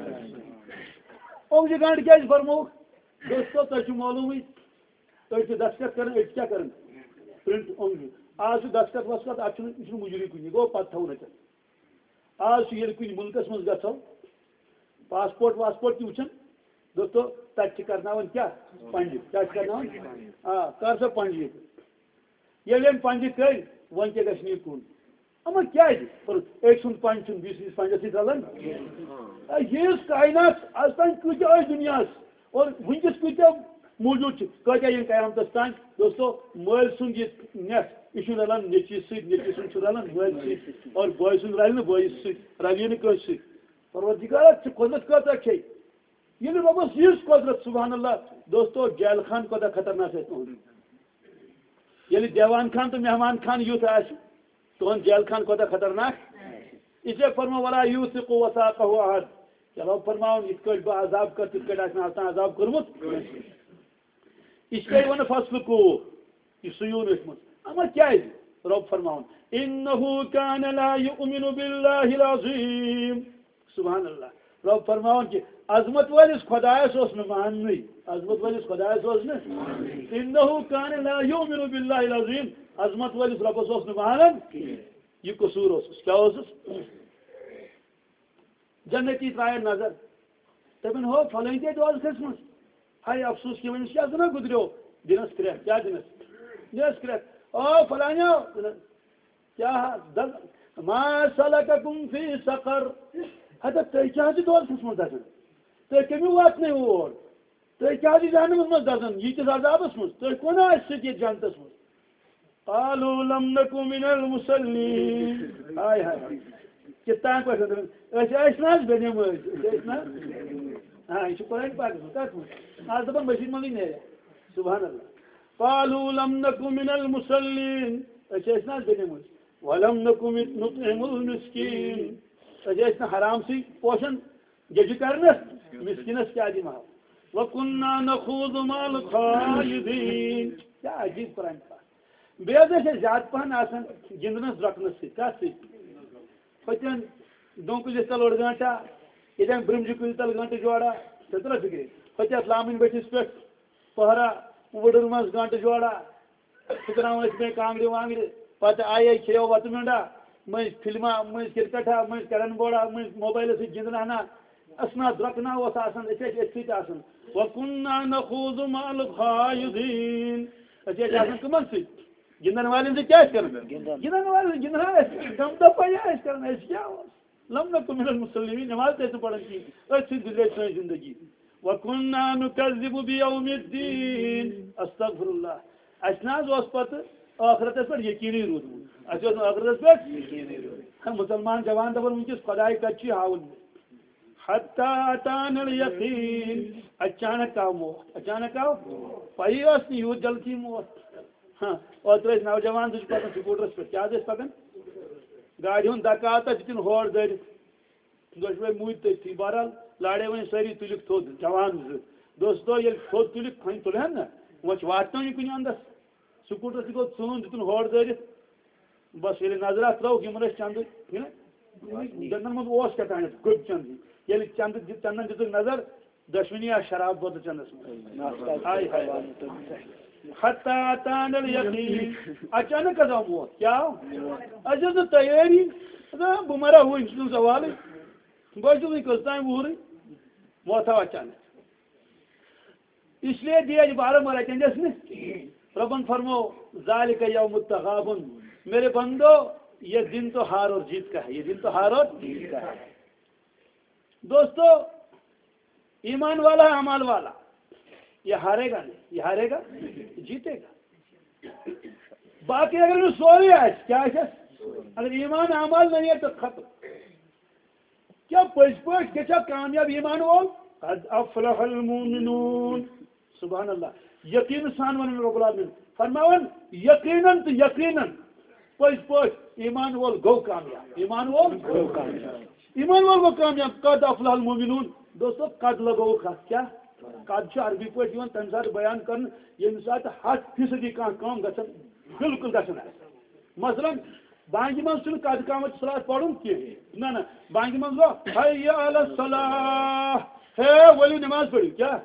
اوٚنٛگجہِ گنٛڈ کیازِ فرمووُکھ؟ دوستو، تۄہہِ چھُ معلومٕے، أسۍ چھِ دستخط کران، أسۍ کیٛاہ کران؟ پرنٹ اوٚنٛگجہِ۔ آز چھُ دستخط وستخط، اتھ چھُنہٕ، یہِ چھُنہٕ مُجری کُنہِ، یہِ گوٚو پتہٕ تھاوُن اَتٮ۪ن۔ آز چھُ ییٚلہِ کُنہِ مُلکس منٛز گژھو، پاسپورٹ واسپورٹ تہِ وٕچھان، دوستو، تتہِ چھِ کرناوان کیٛاہ؟ پنجہِ۔ کیٛاہ چھِ کرناوان؟ آ، کر سا پنجہِ ییٚتہِ۔ ییٚلہِ أمۍ پنجہِ کٔرۍ، وۄنۍ کیٛاہ گژھِ نہٕ یہِ کُن؟ اما کیٛازِ؟ پرُت، أکۍ سُنٛد پنج چھُنہٕ بیٚیِس سٕنٛدِس پنجس سۭتۍ رلان۔ آ، ییٖژ کاینات، از تام کۭتیاہ ٲسۍ دُنیاہس، اور وٕنکیٚس کۭتیاہ موجود چھِ، کۭتیاہ یِن قیامتس تام۔ دوستو، مٲلۍ سُنٛد یہِ نٮ۪تھ، یہِ چھُنہٕ رلان نیٚچوِس سۭتۍ، نیٚچوِ سُنٛد چھُ رلان مٲلۍ سۭتۍ، اور بٲے سُنٛد رلہِ نہٕ بٲیِس سۭتۍ، رلہِ نہٕ کٲنٛسہِ سۭتۍ۔ پروردگارا، ژٕ قۄدرت کۭژاہ چھے؟ ییٚلہِ رۄبس یِژھ قۄدرت، سبحان اللہ، دوستو، جیل خان کوتاہ خطرناک آسہِ تُہُنٛد۔ ییٚلہِ دیوان خان تہٕ مہمان خان یُتھ آسہِ، تُہُنٛد جیل خان کوتاہ خطرناک۔ اس لیے فرموو، ولا یوثق وثاقہ احد۔ چلو فرماوُن، یِتھ کٲٹھۍ بہٕ عذاب کر، تِتھ کٲٹھۍ آسہِ نہٕ آز تام عذاب کوٚرمُت۔ اس لیے ووٚن فسلکوہ، یہِ سُیوٗن أتھۍ منٛز۔ اما کیازِ؟ رۄب فرماوُن، انہ کان لا یؤمن باللہ العظیم۔ سبحان اللہ۔ رۄب فرماوان کہِ عظمت وٲلِس خۄدایَس اوس نہٕ ماننٕے۔ عظمت وٲلِس خۄدایَس اوس نہٕ۔ انہ کان لا یؤمن باللہ العظیم۔ عظمت وٲلِس رۄبَس اوس نہٕ مانان۔ یہِ قصوٗر اوسُس۔ کیٛاہ اوسُس؟ جنتی ترٛایَن نظر۔ دَپَن، ہو، فلٲنۍ تے دوزخَس منٛز۔ ہاے افسوس کہِ وۄنۍ چھِ اَتھ گُزریو۔ دِنَس کرٛٮ۪کھ۔ کیٛاہ دِنَس؟ دِنَس کرٛٮ۪کھ۔ او، فلٲنیو۔ کیٛاہ حظ؟ دَپ، ما سلککم فی سقر؟ ہتا تُہۍ کیٛاہ حظ چھِ دوزخَس منٛز دَزان؟ تُہۍ کٔمِو واتنٲوِو اور؟ تُہۍ کیٛاہ حظ چھِ جہنمَس منٛز دَزان؟ ییٖتِس عذابَس منٛز؟ تُہۍ کون ٲسِو سۭتۍ ییٚتہِ جنتَس منٛز؟ قالوا لم نک من المصلین۔ ہاے ہاے ہاے۔ کِتھ تام پٲٹھۍ وَنان؟ أسۍ ٲسۍ نہ حظ بے نمٲز؟ أسۍ ٲسۍ نہ حظ؟ ہاں، یہِ چھُ قرآن پاکَس منٛز۔ کَتھ منٛز؟ آز دَپان مٔسجِد منٛزٕے نیرِ۔ سبحان اللہ۔ قالوا لم نک من المصلین۔ أسۍ ٲسۍ نہ حظ بے نمٲز؟ ولم نک نطعم المسکین۔ أسۍ ٲسۍ نہٕ حرام سٕے پوشان۔ گیٚجہِ کرنس، مسکینس کیٛاہ دِمہو؟ وَكُنَّا نَخُوضُ مَعَ الْخَائِضِينَ۔ کیٛاہ عجیٖب قرآن پاک۔ بیٚیہِ حظ ٲسۍ أسۍ زیادٕ پہن آسان گِنٛدنس درٛۄکنس سۭتۍ۔ کتھ سۭتۍ؟ ہوٚتٮ۪ن ڈوٗنۍ کُلِس تل اوٚڑ گٲنٛٹا، ییٚتٮ۪ن برٛمجہِ کُلہِ تل گٲنٛٹہٕ جوڑا، ژےٚ ترٛٲو فِکرِ؟ ہوٚتٮ۪تھ لامٕنۍ بٔٹھِس پٮ۪ٹھ پہرا، وُڈٕر منٛز گٲنٛٹہٕ جوڑا، پھُکراوان ٲسۍ مےٚ کانٛگرِ وانٛگرِ۔ پتہٕ آیے کھیٚیو وَتہٕ مِنٛڈا، مٔنٛزۍ فِلما، مٔنٛزۍ کِرکٹھا، مٔنٛزۍ کیرم بورڈا، مٔنٛزۍ موبایلہٕ سۭتۍ گِنٛدنہٕ ہنا۔ اسناد درٛۄکناوس آسان، أسۍ ٲسۍ أتھۍ سۭتۍ آسان۔ وَكُنَّا نَخُوضُ مَعَ الْخَائِضِينَ۔ أسۍ ٲسۍ آسان کٕمن سۭتۍ؟ گِنٛدن والٮ۪ن سۭتۍ کیٛاہ ٲسۍ کران؟ گِنٛدن۔ گِنٛدن والٮ۪ن گِنٛدان ٲسۍ، غم دپا یہِ ٲسۍ کران، أسۍ کیٛاہ اوس؟ لم نکن من المصلین، نماز تہِ ٲسۍ نہٕ پران کِہیٖنۍ، أتھۍ سۭتۍ گُزرے سٲنۍ زندگی۔ وَكُنَّا نُكَذِّبُ بِيَوْمِ الدِّينِ۔ استغفر اللہ۔ اَسہِ نہ حظ اوس پتہٕ ٲخرتس پٮ۪ٹھ یقیٖنٕے روٗدمُت۔ اَسہِ اوس نہٕ ٲخرتس پٮ۪ٹھ یقیٖنٕے روٗدمُت۔ ہا، مُسلمان جوان دَپان، وٕنکیٚس خۄداے کَتہِ چھُ، یہِ ہاوُن مےٚ۔ حتی اتانا الیقین، اچانک آو موت، اچانک آو۔ پَیی ٲس نہٕ یوٗت جلدی موت۔ ہاں، اوترٕ ٲسۍ نوجوان زٕ چھِ پَکان سکوٗٹرَس پٮ۪ٹھ، کیٛاہ حظ ٲسۍ پَکان؟ گاڑِ ہُنٛد دَکہٕ آو تَتھ، دِتِن ہورٕ دٲرِتھ۔ دۄشوَے موٗدۍ تٔتھی۔ بہرحال، لارے وۄنۍ سٲری، تُلِکھ تھوٚد، جوان زٕ۔ دوستو، ییٚلہِ تھوٚد تُلِکھ، وۄنۍ تُلہٕ ہن نہ، وۄنۍ چھِ واتناونٕے کُنہِ اَندَس۔ سکوٗٹرَس تہِ گوٚو ژوٗن، دِتُن ہورٕ دٲرِتھ۔ بَس، ییٚلہِ نظرہ ترٛٲوٕکھ، یِمَن ٲسۍ چَندٕ، چھِنہ؟ دَنٛدَن منٛز اوس کیٛاہ تام گوٚبۍ چَندٕ۔ ییٚلہِ چَندٕ دِ-، چَندَن دِژٕکھ نظر، دۄشوٕنی آسہٕ شراب بٲتلہٕ چَندَس منٛز۔ ہاے ہاے۔ حتی اتانا الیقین۔ اچانک حظ آو موت۔ کیٛاہ آو؟ اَسہِ ٲس نہٕ تیٲری۔ دَپان، بہٕ مَرا ہُہ، یہِ چھُنہٕ سوالٕے۔ بہٕ حظ چھُس وٕنہِ کٔژ تام وُہرٕے۔ موت آو اچانک۔ اس لیے دِیا یہِ بارٕ مَرا چَندَس نہٕ۔ رۄبَن فرمو، ذالک یوم التغابن۔ میرے بندو، یہ دن تو ہار اور جیت کا ہے، یہ دن تو ہار اور جیت کا ہے۔ دوستو، ایمان والا، اعمال والا، یہ ہارے گا نہیں، یہ ہارے گا، جیتے گا۔ باقی اگر نہٕ سورُے آسہِ، کیٛاہ آسٮ۪س؟ اگر ایمان اعمال نہیں ہے تو ختم۔ کیٛاہ پٔزۍ پٲٹھۍ گژھِ کامیاب ایمان وول؟ قد افلح المؤمنون۔ سبحان اللہ۔ یقین سان ونان رب العالمین۔ فرماوان، یقیناً تہٕ یقیناً پٔزۍ پٲٹھۍ ایمان وول گوٚو کامیاب۔ ایمان وول گوٚو کامیاب۔ ایمان وول گوٚو کامیاب۔ قد افلح المؤمنون۔ دوستو، قد لگووُکھ اَتھ۔ کیٛاہ؟ قد چھُ عربی پٲٹھۍ یِوان تَمہِ ساتہٕ بیان کرنہٕ، ییٚمہِ ساتہٕ ہَتھ فیٖصدی کانٛہہ کٲم گژھن، بالکل گژھن آسہِ۔ مثلاً، بانگہِ منٛز چھُنہٕ قد قامت صلاة پَرُن کینٛہہ۔ نہ، نہ، بانگہِ منٛز گوٚو، حی علی الصلاح، ہے، ؤلِو نماز پٔرِو۔ کیٛاہ؟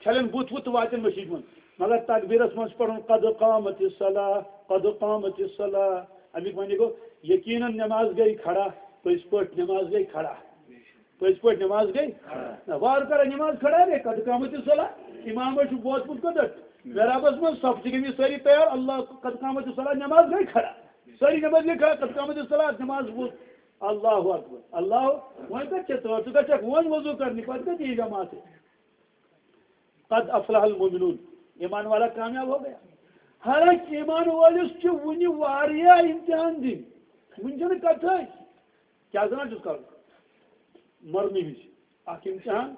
چھَلن بُتھ وُتھ تہٕ واتن مٔشیٖد منٛز۔ مگر تکبیٖرَس منٛز چھُ پَرُن، قد قامت الصلاح، قد قامت الصلاح۔ اَمیُک معنی گوٚو، یقیناً نماز گٔے کھڑا، پٔزۍ پٲٹھۍ نماز گٔے کھڑا۔ پٔزۍ پٲٹھۍ نماز گٔے؟ نہ، وارٕ کارا نماز کھڑا گٔے، قد قامت الصلاح۔ امامس چھُ ووتمُت کوٚت؟ محرابس منٛز، صف چھِ گٔمٕتۍ سٲری تیار، اللہ، قد قامت الصلاح، نماز گٔے کھڑا۔ سٲری نماز گٔے کھڑا، قد قامت الصلاح، نماز ووت۔ اللہ اکبر، اللہ، وۄنۍ کتہِ چھےٚ تٲر؟ ژٕ گژھکھ وۄنۍ وضو کرنہِ، پتہٕ کتہِ یی جماعت؟ قد افلح المؤمنون، ایمان والا کامیاب ہو گیا۔ حالانکہ ایمان وٲلِس چھِ وُنہِ واریاہ امتحان دِنۍ، وُنہِ چھنہٕ کتھے۔ کیٛاہ زانان چھُس کرُن؟ مرنہٕ وِزِ اکھ امتحان،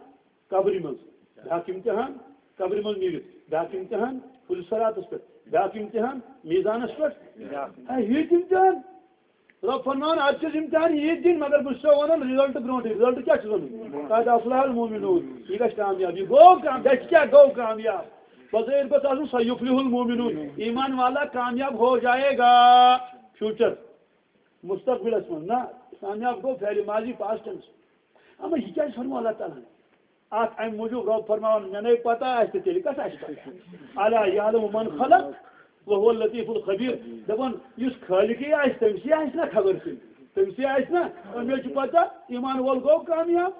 قبرِ منٛز بیٛاکھ امتحان، قبرِ منٛز نیٖرِتھ بیٛاکھ امتحان، پُلہِ صراطس پٮ۪ٹھ بیٛاکھ امتحان، میزانس پٮ۪ٹھ بیٛاکھ۔ ہے، یہِ تہِ امتحان۔ رۄب فرمان، اتھ چھُس امتحان یہِ دِنۍ، مگر بہٕ چھُسو ونان result برونٹھٕے۔ Result کیٛاہ چھُ ونُن؟ قد افلح المؤمنون۔ یہِ گژھِ کامیاب۔ یہِ گوٚو کام، گژھِ کیٛاہ؟ گوٚو کامیاب۔ بظٲہر گوٚژھ آسُن سیفلح المؤمنون۔ ایمان والا کامیاب ہو جائے گا۔ Future۔ مستقبلس منٛز نہ، کامیاب گوٚو فعل ماضی، past tense۔ اما یہِ کیٛازِ فرموو اللہ تعالیٰ ہن؟ اتھ امہِ موٗجوٗب رۄب فرماوان، مےٚ نے پتہ آسہِ تہٕ تیٚلہِ کس آسہِ پتہ؟ الا یعلم من خلق وهو اللطیف الخبیر۔ دپان، یُس خالقٕے آسہِ، تٔمۍ سٕے آسہِ نا خبر تیٚلہِ؟ تٔمۍ سٕے آسہِ نا؟ اور مےٚ چھُ پتہ، ایمان وول گوٚو کامیاب۔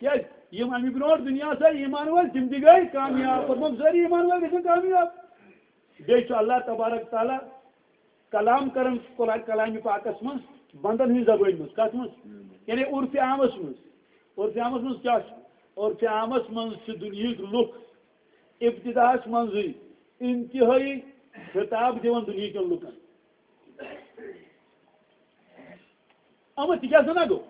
کیٛازِ؟ یِم امہِ برونٛٹھ دُنیاہس آیہِ ایمان وٲلۍ، تِم تہِ گٔے کامیاب۔ فرمووُکھ، سٲری ایمان وٲلۍ گژھن کامیاب۔ بیٚیہِ چھُ اللہ تبارک تعالیٰ کلام کران قرآن کلامِ پاکس منٛز بندن ہٕنٛزِ زبٲنۍ منٛز۔ کتھ منٛز؟ یعنی عرفِ عامس منٛز۔ عرفِ عامس منٛز کیٛاہ چھُ؟ عرفِ عامس منٛز چھِ دُنیہٕکۍ لُکھ ابتداہس منٛزٕے انتہٲیی خطاب دِوان دُنیہٕکٮ۪ن لُکن۔ اما تہِ کیٛاہ سنا گوٚو؟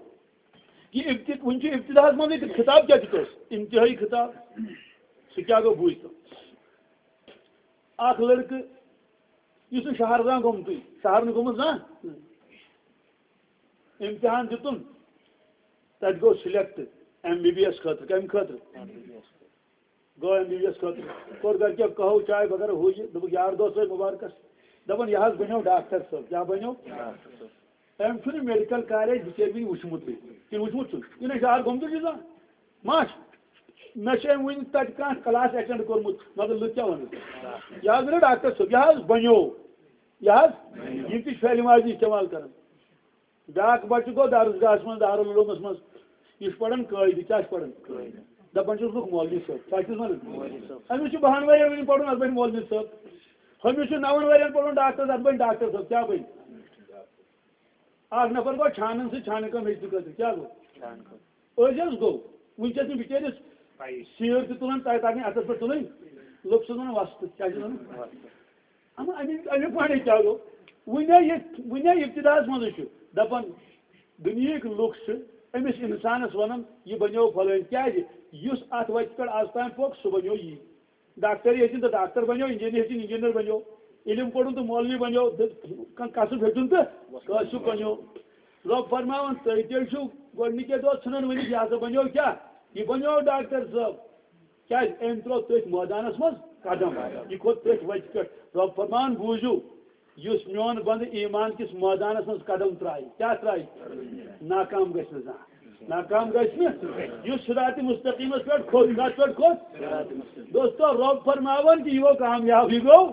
یہِ ابتد-، وُنہِ چھُ ابتداہس منٛزٕے تہٕ خطاب کیٛاہ دیُت اوس؟ انتہٲیی خطاب۔ سُہ کیٛاہ گوٚو، بوٗزۍ تو۔ اکھ لڑکہٕ، یُس نہٕ شہر زانٛہہ گوٚمتُے، شہر نہٕ گوٚمُت زانٛہہ، امتحان دیُتُن، تتہِ گوٚو select M B B S خٲطرٕ۔ کمہِ خٲطرٕ؟ گوٚو ایم بی بی ایس خٲطرٕ۔ کوٚر گرِکیو قہوٕ چاے وغیرہ ہُہ یہِ، دوٚپُکھ یار دوس ٲسۍ مُبارکس، دپان، یہِ حظ بنیو ڈاکٹر صٲب۔ کیٛاہ بنیو؟ أمۍ چھُنہٕ میڈیکل کالج بِچٲرۍ وٕنہِ وٕچھمُتٕے۔ کِنہٕ وٕچھمُت چھُن؟ یہِ نہ شہر گوٚمتُے چھُ زانٛہہ۔ ماش، مےٚ چھُ أمۍ وٕنہِ تَتہِ کانٛہہ کلاس اٹینڈ کوٚرمُت، مگر لُکھ کیٛاہ وَنَن؟ یہِ حظ بَنیو ڈاکٹر صٲب، یہِ حظ بَنیو، یہِ حظ، یِم تہِ چھِ فعلِ ماضی استعمال کَران۔ بیٛاکھ بَچہٕ گوٚو درسگاہَس منٛز، دارالعلومَس منٛز، یہِ چھُ پَران قٲعدٕ، کیٛاہ چھُ پَران؟ دَپان چھُس لُکھ مولوی صٲب، کیٛاہ چھُس وَنان؟ أمِس چھُ بَہَن ؤرِیَن وٕنہِ پَرُن، اَتھ بَنہِ مولوی صٲب۔ ہُمِس چھُ نَوَن ؤرِیَن پَرُن ڈاکٹرَس، اَتھ بَنہِ ڈاکٹر صٲب، کیٛاہ بَنہِ؟ اکھ نفر گوٚو چھانن سۭتۍ، چھانہٕ کٲم ہیٚچھنہٕ خٲطرٕ۔ کیٛاہ گوٚو؟ چھانہٕ کٲم۔ أزۍ حظ گوٚو۔ وٕنکیٚس چھُنہٕ بِچٲرِس پَیی۔ سیٖر تہِ تُلان، تَتہِ تَگنہِ اَتھَس پٮ۪ٹھ تُلٕنۍ۔ لُکھ چھِ وَنان وۄستہٕ۔ کیٛاہ چھِ وَنان؟ وۄستہٕ۔ اما امیُک امیُک معنی کیٛاہ گوٚو؟ وٕنہِ یہِ وٕنہِ ابتداہس منٛزٕے چھُ دپان، دُنیہٕکۍ لُکھ چھِ أمِس انسانس ونان، یہِ بنیو فلٲنۍ۔ کیٛازِ؟ یُس اتھ وتہِ پٮ۪ٹھ از تام پوٚک، سُہ بنیو یی۔ ڈاکٹر ہیٚچھِن تہٕ ڈاکٹر بنیو، انجینئر ہیٚچھِن، انجینئر بنیو، علم پوٚرُن تہٕ مولوی بنیو، تہٕ کانٛہہ کسب ہیوٚتُن تہٕ کٲشُر بنیو۔ رۄب فرماوان، تُہۍ تیٚلہِ چھِو گۄڈٕنِکے دۄہ ژھٕنان ؤنِتھ، یہِ ہسا بنیو کیٛاہ؟ یہِ بنیو ڈاکٹر صٲب۔ کیٛازِ؟ أمۍ ترٛوو تٔتھۍ مٲدانس منٛز قدم، یہِ کھوٚت تٔتھۍ وتہِ پٮ۪ٹھ۔ رۄب فرماوان، بوٗزِو، یُس میون بندٕ ایمان کِس مٲدانس منٛز قدم ترٛایہِ، کیٛاہ ترٛایہِ؟ ناکام گژھِ نہٕ زانٛہہ۔ ناکام گژھِ نہٕ۔ یُس صراط مستقیمس پٮ۪ٹھ کھوٚت، کتھ پٮ۪ٹھ کھوٚت؟ دوستو، رۄب فرماوان کہِ یہِ گوٚو کامیاب، یہِ گوٚو۔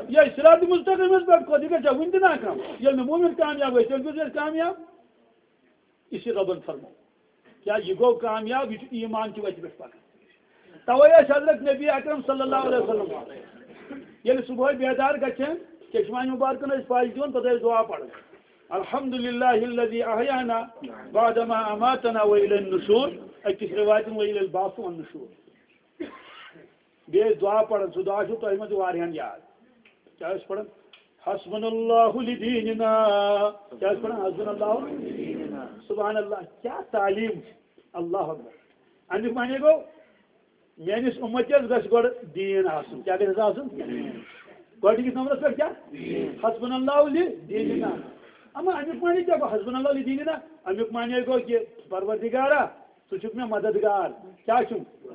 یہِ صراط مستقیمس پٮ۪ٹھ کھوٚت، یہِ گژھِ وُنہِ تہِ ناکام۔ ییٚلہِ نہٕ مومن کامیاب گژھِ، تیٚلہِ کُس گژھِ کامیاب؟ یہِ چھُ رۄبن فرموو۔ کیٛاہ یہِ گوٚو کامیاب؟ یہِ چھُ ایمان چہِ وتہِ پٮ۪ٹھ پکان۔ توے ٲسۍ حضرت نبی اکرم صلی اللہ علیہ وسلم ییٚلہِ صبحٲے بیدار گژھان، چشمانہِ مبارکن ٲسۍ پاش دِوان، پتہٕ ٲسۍ دعا پران، الحمد للہ الذی احیانا بعد ما اماتنا و الی النشور، أکِس روایتن و الی البعث والنشور۔ بیٚیہِ ٲسۍ دعا پران، سُہ دعا چھُ تۄہہِ منٛز واریاہن یاد۔ کیٛاہ ٲسۍ پران؟ حسبنا اللہ لدیننا۔ کیٛاہ ٲسۍ پران؟ حسبنا اللہ۔ سبحان اللہ، کیٛاہ تعلیٖم چھِ۔ اللہ اکبر۔ اَمیُک معنی گوٚو، میٲنِس اُمتس گژھِ گۄڈٕ دیٖن آسُن۔ کیٛاہ گژھِ آسُن؟ گۄڈٕنِکِس نمبرس پٮ۪ٹھ کیٛاہ؟ حسبنا اللہ لدیننا۔ اما اَمیُک معنی کیٛاہ گوٚو؟ حسبنا اللہ لدیننا۔ اَمیُک معنی گوٚو کہِ پروردگارا، ژٕ چھُکھ مےٚ مددگار۔ کیٛاہ چھُم؟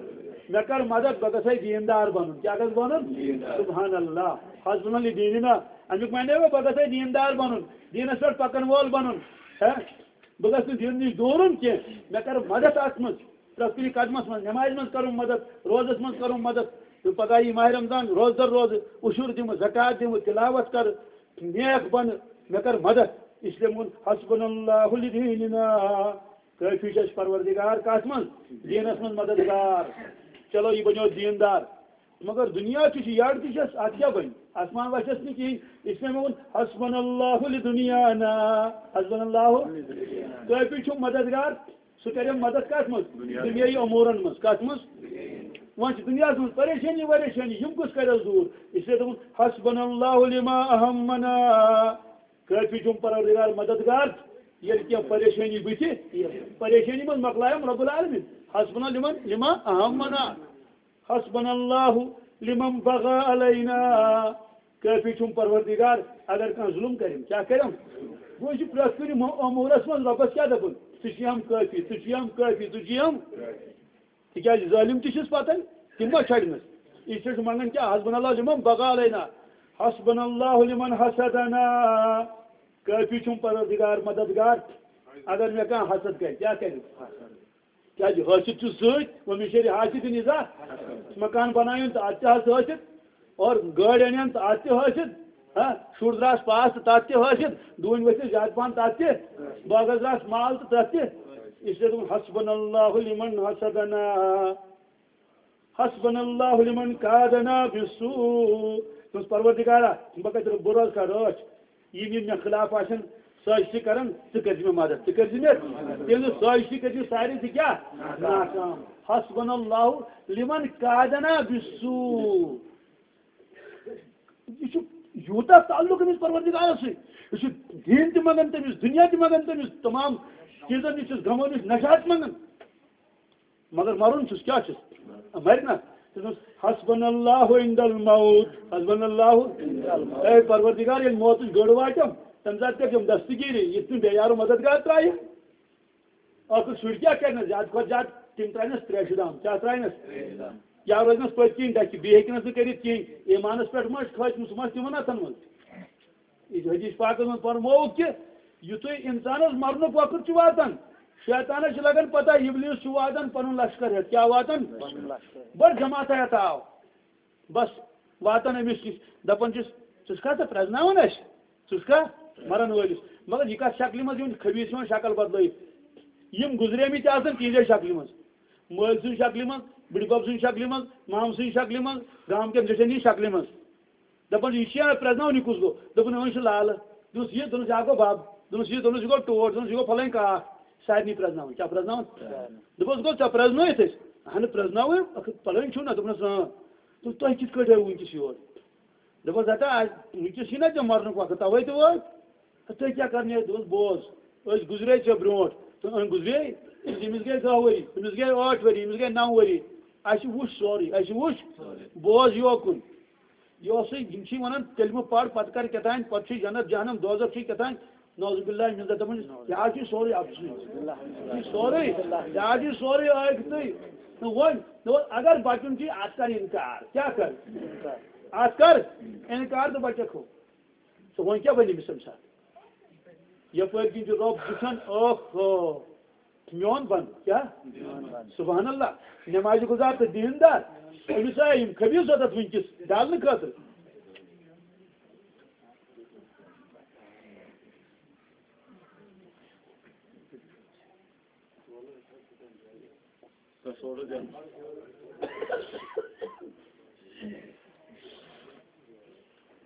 مےٚ کر مدد، بہٕ گژھے دیٖندار بنُن۔ کیٛاہ گژھٕ بنُن؟ سبحان اللہ۔ حسبنا اللہ لدیننا۔ اَمیُک معنی گوٚو، بہٕ گژھے دیٖندار بنُن، دیٖنس پٮ۪ٹھ پکن وول بنُن۔ ہے، بہٕ گژھٕ نہٕ دیٖنہٕ نِش دوٗرُن کینٛہہ۔ مےٚ کر مدد اتھ منٛز، پرٛٮ۪تھ کُنہِ قدمس منٛز، نمازِ منٛز کرُن مدد، روزس منٛز کرُن مدد۔ تہٕ پگاہ یی ماہِ رمضان، روزدر روزٕ، عشر دِمہٕ، زکوٰۃ دِمہٕ، تلاوت کرٕ، نیک بنہٕ، مےٚ کر مدد۔ اس لیے ووٚن، حسبنا اللہ لدیننا۔ کٲفی چھُ اَسہِ پروردگار کتھ منٛز؟ دیٖنس منٛز مددگار۔ چلو، یہِ بنیو دیٖندار۔ مگر دُنیا تہِ چھُ، یٔڈ تہِ چھَس، اتھ کیٛاہ بنہِ؟ آسمان وسٮ۪س نہٕ کِہیٖنۍ۔ اس لیے مےٚ ووٚن، حسبنا اللہ لدنیانا۔ حسبنا اللہ۔ کٲفی چھُ مددگار، سُہ کرِ مدد کتھ منٛز؟ دُنیاہی امورن منٛز۔ کتھ منٛز؟ وۄنۍ چھِ دُنیاہس منٛز پریشٲنی وریشٲنی، یِم کُس کرٮ۪س دوٗر؟ اس لیے دوٚپُن، حسبنا اللہ لما اہمنا۔ کٲفی چھُم پروردگار مددگار، ییٚلہِ کینٛہہ پریشٲنی بٕتھِ، پریشٲنی منٛز مۄکلایَم رب العالمین۔ حسبنا لمن، لما اہمنا۔ حسبنا اللہ لمن بغى علینا۔ کٲفی چھُم پروردگار، اگر کانٛہہ ظُلُم کرٮ۪م، کیٛاہ کرٮ۪م؟ گوٚو، یہِ چھُ پرٛٮ۪تھ کُنہِ مو-، امورس منٛز رۄبس کیٛاہ دپُن؟ ژٕ چھُے ہم کٲفی، ژٕ چھُے ہم کٲفی، ژٕ چھُے ہم۔ تِکیٛازِ ظٲلِم تہِ چھِس پتن، تِم ما چھڑنس؟ یہِ چھِ أسۍ منٛگان کیٛاہ؟ حسبنا اللہ لمن بغى علینا۔ حسبنا اللہ لمن حسدنا۔ کٲفی چھُم پروردگار مددگار، اگر مےٚ کانٛہہ حسد کرِ، کیٛاہ کرِ؟ کیٛازِ حٲسِد چھُ سۭتۍ، وۄنۍ مےٚ شیرِ حاسِد نِزا۔ مکان بناوُن تہٕ اَتھ تہِ حظ حٲسِد، اور گٲڑۍ اَنن تہٕ اَتھ تہِ حٲسِد، ہاں، شُر درٛاس پاس تہٕ تَتھ تہِ حٲسِد، ڈوٗنۍ ؤتھِس زیادٕ پَہَن تَتھ تہِ، باغس درٛاس مال تہٕ تَتھ تہِ۔ اس لیے دوٚپُن، حسبنا اللہ لمن حسدنا، حسبنا اللہ لمن کادنا بالسوء۔ دوٚپُس، پروردگارا، بہٕ کَتہِ روزٕ، بہٕ روزٕ کَتہِ رٲچھ؟ یِم یِم مےٚ خلاف آسن سٲزشہِ کران، ژٕ کٔرۍ زِ مےٚ مدد، ژٕ کٔرۍ زِ مےٚ۔ تیٚلہِ سٲزشہِ کٔرۍ زِ سارے زِ کیٛاہ؟ ناکام۔ حسبنا اللہ لمن کادنا بالسوء۔ یہِ چھُ یوٗتاہ تعلق أمِس پروردگارس سۭتۍ۔ یہِ چھُ دیٖن تہِ منٛگان تٔمِس، دُنیا تہِ منٛگان تٔمِس، تمام چیٖزن نِش چھُس، غمو نِش نجات منٛگان۔ مگر مرُن چھُس، کیٛاہ چھُس؟ مرِ نا۔ تٔمۍ دوٚپُس، حسبنا اللہ عند الموت، حسبنا اللہ۔ اے پروردگار، ییٚلہِ موتٕچ گٔر واتٮ۪م، تَمہِ ساتہٕ کٔرۍزٮ۪م دستگیٖری، یِتھ کٔنۍ بے یارو مددگار ترٛایہِ۔ ٲخٕر شُرۍ کیٛاہ کَرِنَس؟ زیادٕ کھۄتہٕ زیادٕ تِم ترٛاونَس ترٛےٚ شُرام۔ کیٛاہ ترٛاونَس؟ یا روزنَس پٔتۍ کِنۍ ڈَکھِ، بیٚیہِ ہیٚکہِ نہٕ سُہ کٔرِتھ کِہیٖنۍ۔ ایٖمانَس پٮ۪ٹھ ما چھُ کھٲجمٕژ، سُہ ما چھُ تِمَن اَتھَن منٛز؟ یہِ چھُ حدیث پاکس منٛز فرمووُکھ کہِ یُتھُے اِنسانَس مَرنُک وقت چھُ واتان، شیطانَس چھِ لَگان پَتہ، اِبلیٖس چھُ واتان پَنُن لشکر ہٮ۪تھ۔ کیٛاہ واتان؟ پَنُن لشکر۔ بٔڑ جماعتہ ہٮ۪تھ آو۔ بَس واتان أمِس نِش، دَپان چھِس، "ژٕ چھُکھا ژٕ پرٛزناوان اَسہِ؟ ژٕ چھُکھا مَرَن وٲلِس؟" مگر یہِ کَتھ شکلہِ منٛز یِوان، خبیٖث چھِ یِوان شکل بدلٲیِتھ۔ یِم گُزریمٕتۍ آسان تِہنٛزے شکلہِ منٛز، مٲلۍ سٕنٛز شکلہِ منٛز، بٕڈِبب سٕنٛز شکلہِ منٛز، مامہٕ سٕنٛز شکلہِ منٛز، گامہٕ کٮ۪ن زِٹھٮ۪ن ہٕنٛز شکلہِ منٛز۔ دَپان، "یہِ چھا پرٛزناوان، یہِ کُس گوٚو؟" دوٚپُن، "أمِس چھُ لالہٕ۔" دوٚپُس، "یہِ؟" دوٚپُس، "یہِ ہا گوٚو بَب۔" دوٚپُس، "یہِ؟" دوٚپُس، "یہِ گوٚو ٹوٹھ۔" دوٚپُس، "یہِ گوٚو پھلٲنۍ کاکھ۔" سارنٕے پرٛزناوان۔ کیٛاہ پرٛزناوان؟ دوٚپُس، "گوٚو ژےٚ پرٛزنٲیِتھ أسۍ؟" "اَہَنہٕ، پرٛزنٲوٕے، پھلٲنۍ چھُو نا؟" دوٚپنَس، "اۭں۔" دوٚپُس، "تۄہہِ کِتھ کٲٹھۍ آیوٕ وٕنۍکٮ۪س یور؟" دوٚپُس، ہتا، آز وٕنکیٚس چھُے نا ژےٚ مرنُک وقت، تَوَے تہٕ وٲتۍ۔ تہٕ تُہۍ کیٛاہ کرنہِ ٲسۍ؟ دوٚپُس، بوز، أسۍ گُزرے ژےٚ برونٛٹھ، تہٕ أمۍ گُزرے، أمِس گٔے دَہ ؤری، أمِس گٔے ٲٹھ ؤری، أمِس گٔے نَو ؤری۔ اَسہِ وُچھ سورُے، اَسہِ وُچھ۔ بوز یوکُن۔ یہِ اوسُے، یِم چھِ وَنان، کلمہٕ پَر، پَتہٕ کر کیٛاہ تام، پَتہٕ چھُے جنت جہنم دوزخ چھُے کیٛاہ تام۔ نعوذ باللہ من ذالک، دَپان، یہِ حظ چھُ سورُے اَپزُے۔ یہِ چھُ سورُے، یہِ حظ چھُ سورُے ٲکھتٕے۔ نہ وۄنۍ، نہ وۄنۍ اگر بَچُن چھُے، اَتھ کر اِنکار۔ کیٛاہ کر؟ اَتھ کر اِنکار تہٕ بَچَکھ ہو۔ تہٕ وۄنۍ کیٛاہ بَنہِ أمِس اَمہِ ساتہٕ؟ یَپٲرۍ کِنۍ چھُ رۄب وٕچھان، اوہ ہو، میون بنٛدٕ، کیٛاہ؟ سبحان اللہ، نمازِ گُزار تہٕ دیٖندار، أمِس آے یِم خبیٖث ضوٚرَتھ وٕنکیٚس ڈالنہٕ خٲطرٕ۔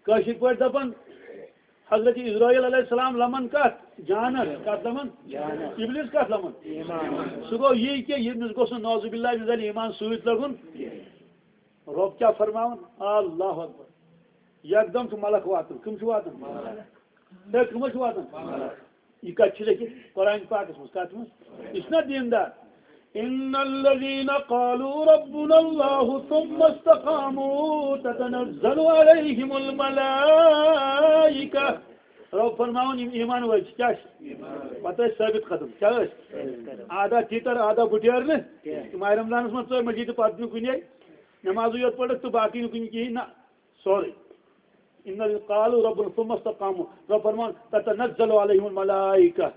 کٲشِر پٲٹھۍ دَپان، حضرت عزرائیل علیہ السلام لَمَن کَتھ؟ جانَس۔ کَتھ لَمَن؟ جانَس۔ ابلیس کَتھ لَمَن؟ ایمان۔ سُہ گوٚو یی کہِ ییٚمِس گوٚژھ نہٕ، نعوذ باللہ من ذالک، ایمان سۭتۍ لَگُن۔ رۄب کیٛاہ فرماوان؟ اللہ اکبر۔ یکدم چھُ ملک واتان۔ کٕم چھِ واتان؟ ہے، کٕم حظ چھِ واتان؟ یہِ کَتہِ چھِ لیٚکھِتھ؟ قرآن پاکَس منٛز۔ کَتھ منٛز؟ یہِ چھُنہ دیٖندار۔ ان الذين قالوا ربنا الله ثم استقاموا تتنزل عليهم الملائكة۔ رۄب فرماوان، یِم ایمان وٲلۍ چھِ، کیٛاہ چھِ؟ پَتہٕ ٲسۍ ثٲبِت قدم۔ کیٛاہ ٲسۍ؟ آدھا تیٖتر، آدھا بُٹیرنہٕ۔ ماہِ رمضانَس منٛز ژٲر مٔجیٖد تہٕ پَتہٕ نہٕ کُنے، نمازٕے یوت پٔرٕکھ تہٕ باقٕے نہٕ کُنہِ کِہیٖنۍ، نہ۔ سورُے۔ ان الذين قالوا ربنا ثم استقاموا، رۄب فرمان، تتنزل عليهم الملائكة،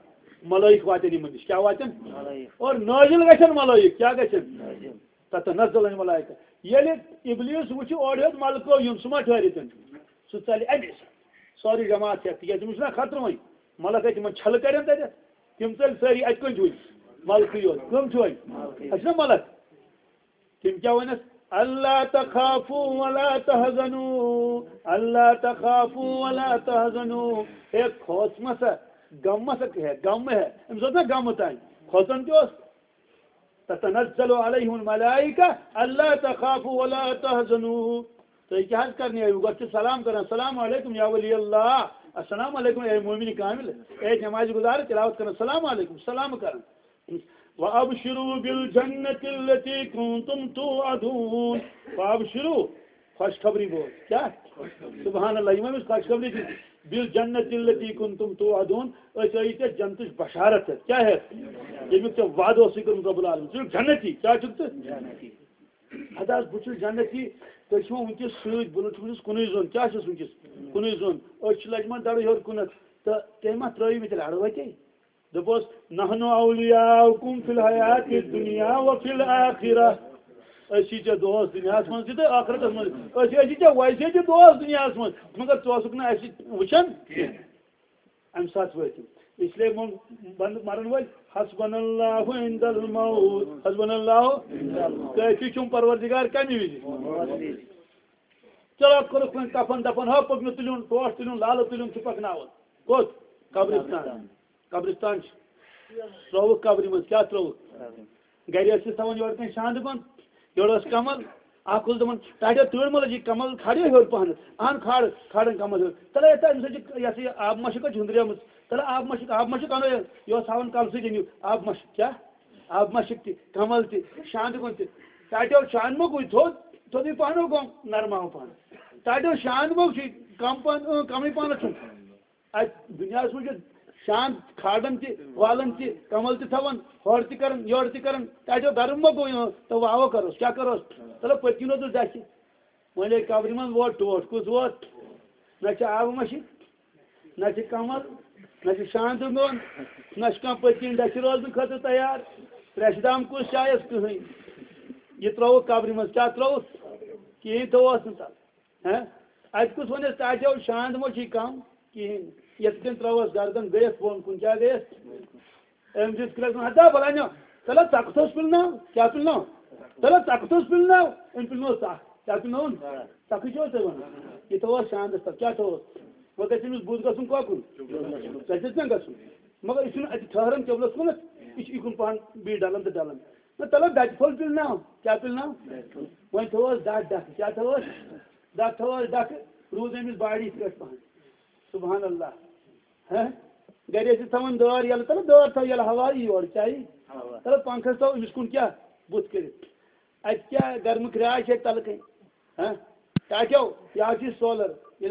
ملائک واتن یِمن نِش۔ کیٛاہ واتن؟ ملائک۔ اور نٲزِل گژھن ملائک۔ کیٛاہ گژھن؟ نٲزِل۔ تتنزل عليهم الملائكة۔ ییٚلہِ ابلیس وٕچھِ اورٕ یوت ملکو یُن، سُہ ما ٹھہرِ تیٚلہِ؟ سُہ ژَلہِ اَمے ساتہٕ۔ سٲرٕے جماعت ہٮ۪تھ، تِکیٛازِ تِمن چھُنہ خطرٕ وۄنۍ۔ ملک اَتہِ تِمن چھلہٕ کَرن تَتٮ۪تھ۔ تِم ژٔلۍ سٲری اَتہِ کُن چھُ وٕنہِ۔ ملکٕے یوت۔ کٕم چھِ وۄنۍ؟ ملکٕے۔ اَسہِ چھِنہ ملک؟ تِم کیٛاہ وَنَس؟ "الا تخافوا ولا تحزنوا، الا تخافوا ولا تحزنوا"۔ ہے، کھوژ مہ سا، غم مہ سا، ہے، غم مہ ہے۔ أمِس اوس نہ غم تام، کھوژان تہِ اوس۔ "تتنزل عليهم الملائكة الا تخافوا ولا تحزنوا"۔ تُہۍ کیٛاہ حظ کرنہِ آیِو؟ گۄڈٕ چھِ سلام کران، "السلام علیکم یا ولی اللہ"، "السلام علیکم اے مومن کامل"، اے نماز گزار، تلاوت کران، "السلام علیکم"، سلام کران۔ "وابشروا بالجنة التي كنتم توعدون"۔ وابشروا، خوشخبری بول۔ کیٛاہ؟ سبحان اللہ، یِم أمِس خوشخبری دِژ۔ "بالجنة التي كنتم توعدون"، أسۍ ٲیی ژےٚ جنتٕچ بشارت ہٮ۪تھ۔ کیٛاہ ہٮ۪تھ؟ ییٚمیُک ژےٚ وعدٕ اوسُے کوٚرمُت رب العالمین۔ ژٕ چھُکھ جنتی۔ کیٛاہ چھُکھ ژٕ؟ جنتی۔ اَدٕ حظ، بہٕ چھُس جنتی، تُہۍ چھِو وٕنکیٚس سۭتۍ، بہٕ نہٕ چھُس نہٕ کُنُے زوٚن۔ کیٛاہ چھُس وٕنکیٚس؟ کُنُے زوٚن۔ أسۍ چھِ لجمژ دَرٕے ہیوٚر کُنَتھ۔ تہٕ تٔمۍ ما ترٛٲوۍ مٕتۍ لَڑٕ وَتے؟ دوٚپُس، "نحن اولیاؤکم فی الحیات الدنیا وفی الآخرہ"۔ أسۍ چھِ ژےٚ دوست دُنیاہَس منٛز تہِ تہٕ ٲخرتَس منٛز۔ أسۍ ٲسی ژےٚ ویسے تہِ دوست دُنیاہَس منٛز، مگر ژٕ اوسُکھ نہٕ اَسہِ وٕچھان کینٛہہ۔ اَمہِ ساتہٕ وٲتۍ تِم۔ اس لیے ووٚن بنٛدٕ مرن وٲلۍ، "حسبنا اللہ عند الموت، حسبنا اللہ عند الموت۔" کٲفی چھُم پروردگار کَمہِ وِزِ؟ چلو، کوٚرُکھ وۄنۍ کفن دفن، ہا، پوٚک مےٚ تُلیُن، ٹوٹھ تُلیُن، لالہٕ تُلیُن چھُ پکناوُن۔ کوٚت؟ قبرستان۔ قبرستان چھُ۔ ترٛووُکھ قبرِ منٛز، کیٛاہ ترٛووُکھ؟ گرِ ٲسِس تھاوان یورٕ کَنۍ شانٛدٕ بنٛد، یورٕ ٲس کمل، اکھ اوس دپان، "ٹاٹھیو، تۭر ما لٔجی، کمل کھاڑیو ہیوٚر پہنتھ، اہن کھاڑ، کھاڑن کمل ہیوٚر۔" تَلہٕ ہے، تہٕ أمِس حظ چھِ یہِ ہسا یہِ آبہٕ مشک حظ ہُنٛدریمٕژ، تَلہٕ آبہٕ مشک، آبہٕ مشک اَنو یہِ، یہِ اوس ہاوان کلہٕ سۭتۍ أنِو آبہٕ مشک، کیٛاہ؟ آبہٕ مشک تہِ، کمل تہِ، شانٛدٕ گوٚن تہِ۔ ٹاٹھیو شانٛد مۄکھ گوٚو تھوٚد، تھوٚدُے پہن گوٚو نرماو پہن۔ ٹاٹھیو شانٛد مۄکھ چھُ کم پہن، اۭں، کمٕے پہنتھ چھُم۔ اَتہِ دُنیاہَس منٛز چھِ شانٛد کھالان تہِ، والان تہِ، کمل تہِ تھاوان، ہورٕ تہِ کران، یورٕ تہِ کران۔ تَتہِ گرم ما گوٚو یِہُنٛد؟ تہٕ واوٕ کروس، کیٛاہ کروس؟ تَلہٕ پٔتۍ کِنۍ اوس نہٕ دَچھِ۔ وۄنۍ ییٚلہِ قبرِ منٛز ووت ٹوٹھ، کُس ووت؟ نہ چھِ آبہٕ مَشِک، نہ چھِ کمل، نہ چھِ شانٛدٕ میوٚن، نہ چھِ کانٛہہ پٔتۍ کِنۍ دَچھِ روزنہٕ خٲطرٕ تیار۔ ترٛیشہِ دام کُس چایَس؟ کٕہٕنۍ۔ یہِ ترٛووُکھ قبرِ منٛز، کیٛاہ ترٛووُکھ؟ کِہیٖنۍ تھوٚوہَس نہٕ تَتھ۔ ہہ؟ اَتہِ کُس وَنٮ۪س، "ٹاٹھیو، شانٛد ما چھُے کم؟" کِہیٖنۍ۔ یَتھ کٔنۍ ترٛٲوہَس گردن، گٔیَس بۄن کُن، کیٛاہ گٔیَس؟ أمۍ دِژ کرٛٮ۪کھ، "ہتا بَلانیو، تَلہ ژَکھ تھوٚس پِلناو، کیٛاہ پِلناو؟ تَلہ ژَکھ تھوٚس پِلناو۔" أمۍ پِلنوو ژَکھ، کیٛاہ پِلنووُن؟ ژَکھ۔ ژَکھٕے چھِ حظ تُہۍ وَنان؟ یہِ تھوٚوہَس شانٛدَس تَل، کیٛاہ تھوٚوہَس؟ وۄنۍ گژھِ أمِس بُتھ گژھُن کۄکُن؟ گژھٮ۪س نا گژھُن۔ مگر یہِ چھُنہٕ اَتہِ ٹھٔہران قبلَس کُنَتھ، یہِ چھُ یِکُن پَہَن بیٚیہِ ڈَلان تہٕ ڈَلان۔ نہ، تَلہ دَچہِ پھوٚل پِلناو، کیٛاہ پِلناو؟ وۄنۍ تھوٚوہَس دَچھ ڈَکھٕ، کیٛاہ تھوٚوہَس؟ دَچھ تھوٚوہَس ڈَکھٕ۔ روٗز أمِس باڈی پٮ۪ٹھ پَہَن۔ سبحان اللہ۔ ہہ؟ گرِ ٲسِو تھاوان دٲر یَلہٕ، تَلہٕ دٲر تھاو یَلہٕ، ہوا یی یورٕ، کیٛاہ یی؟ ہوا۔ تَلہٕ پنٛکھَس تھاو أمِس کُن کیٛاہ بُتھ کٔرِتھ؟ اَتہِ کیٛاہ گرمہٕ کرٛاے چھِ اَتہِ تَلہٕ کَنۍ؟ ہہ؟ ٹاٹیو، یہِ حظ چھِ سولَر۔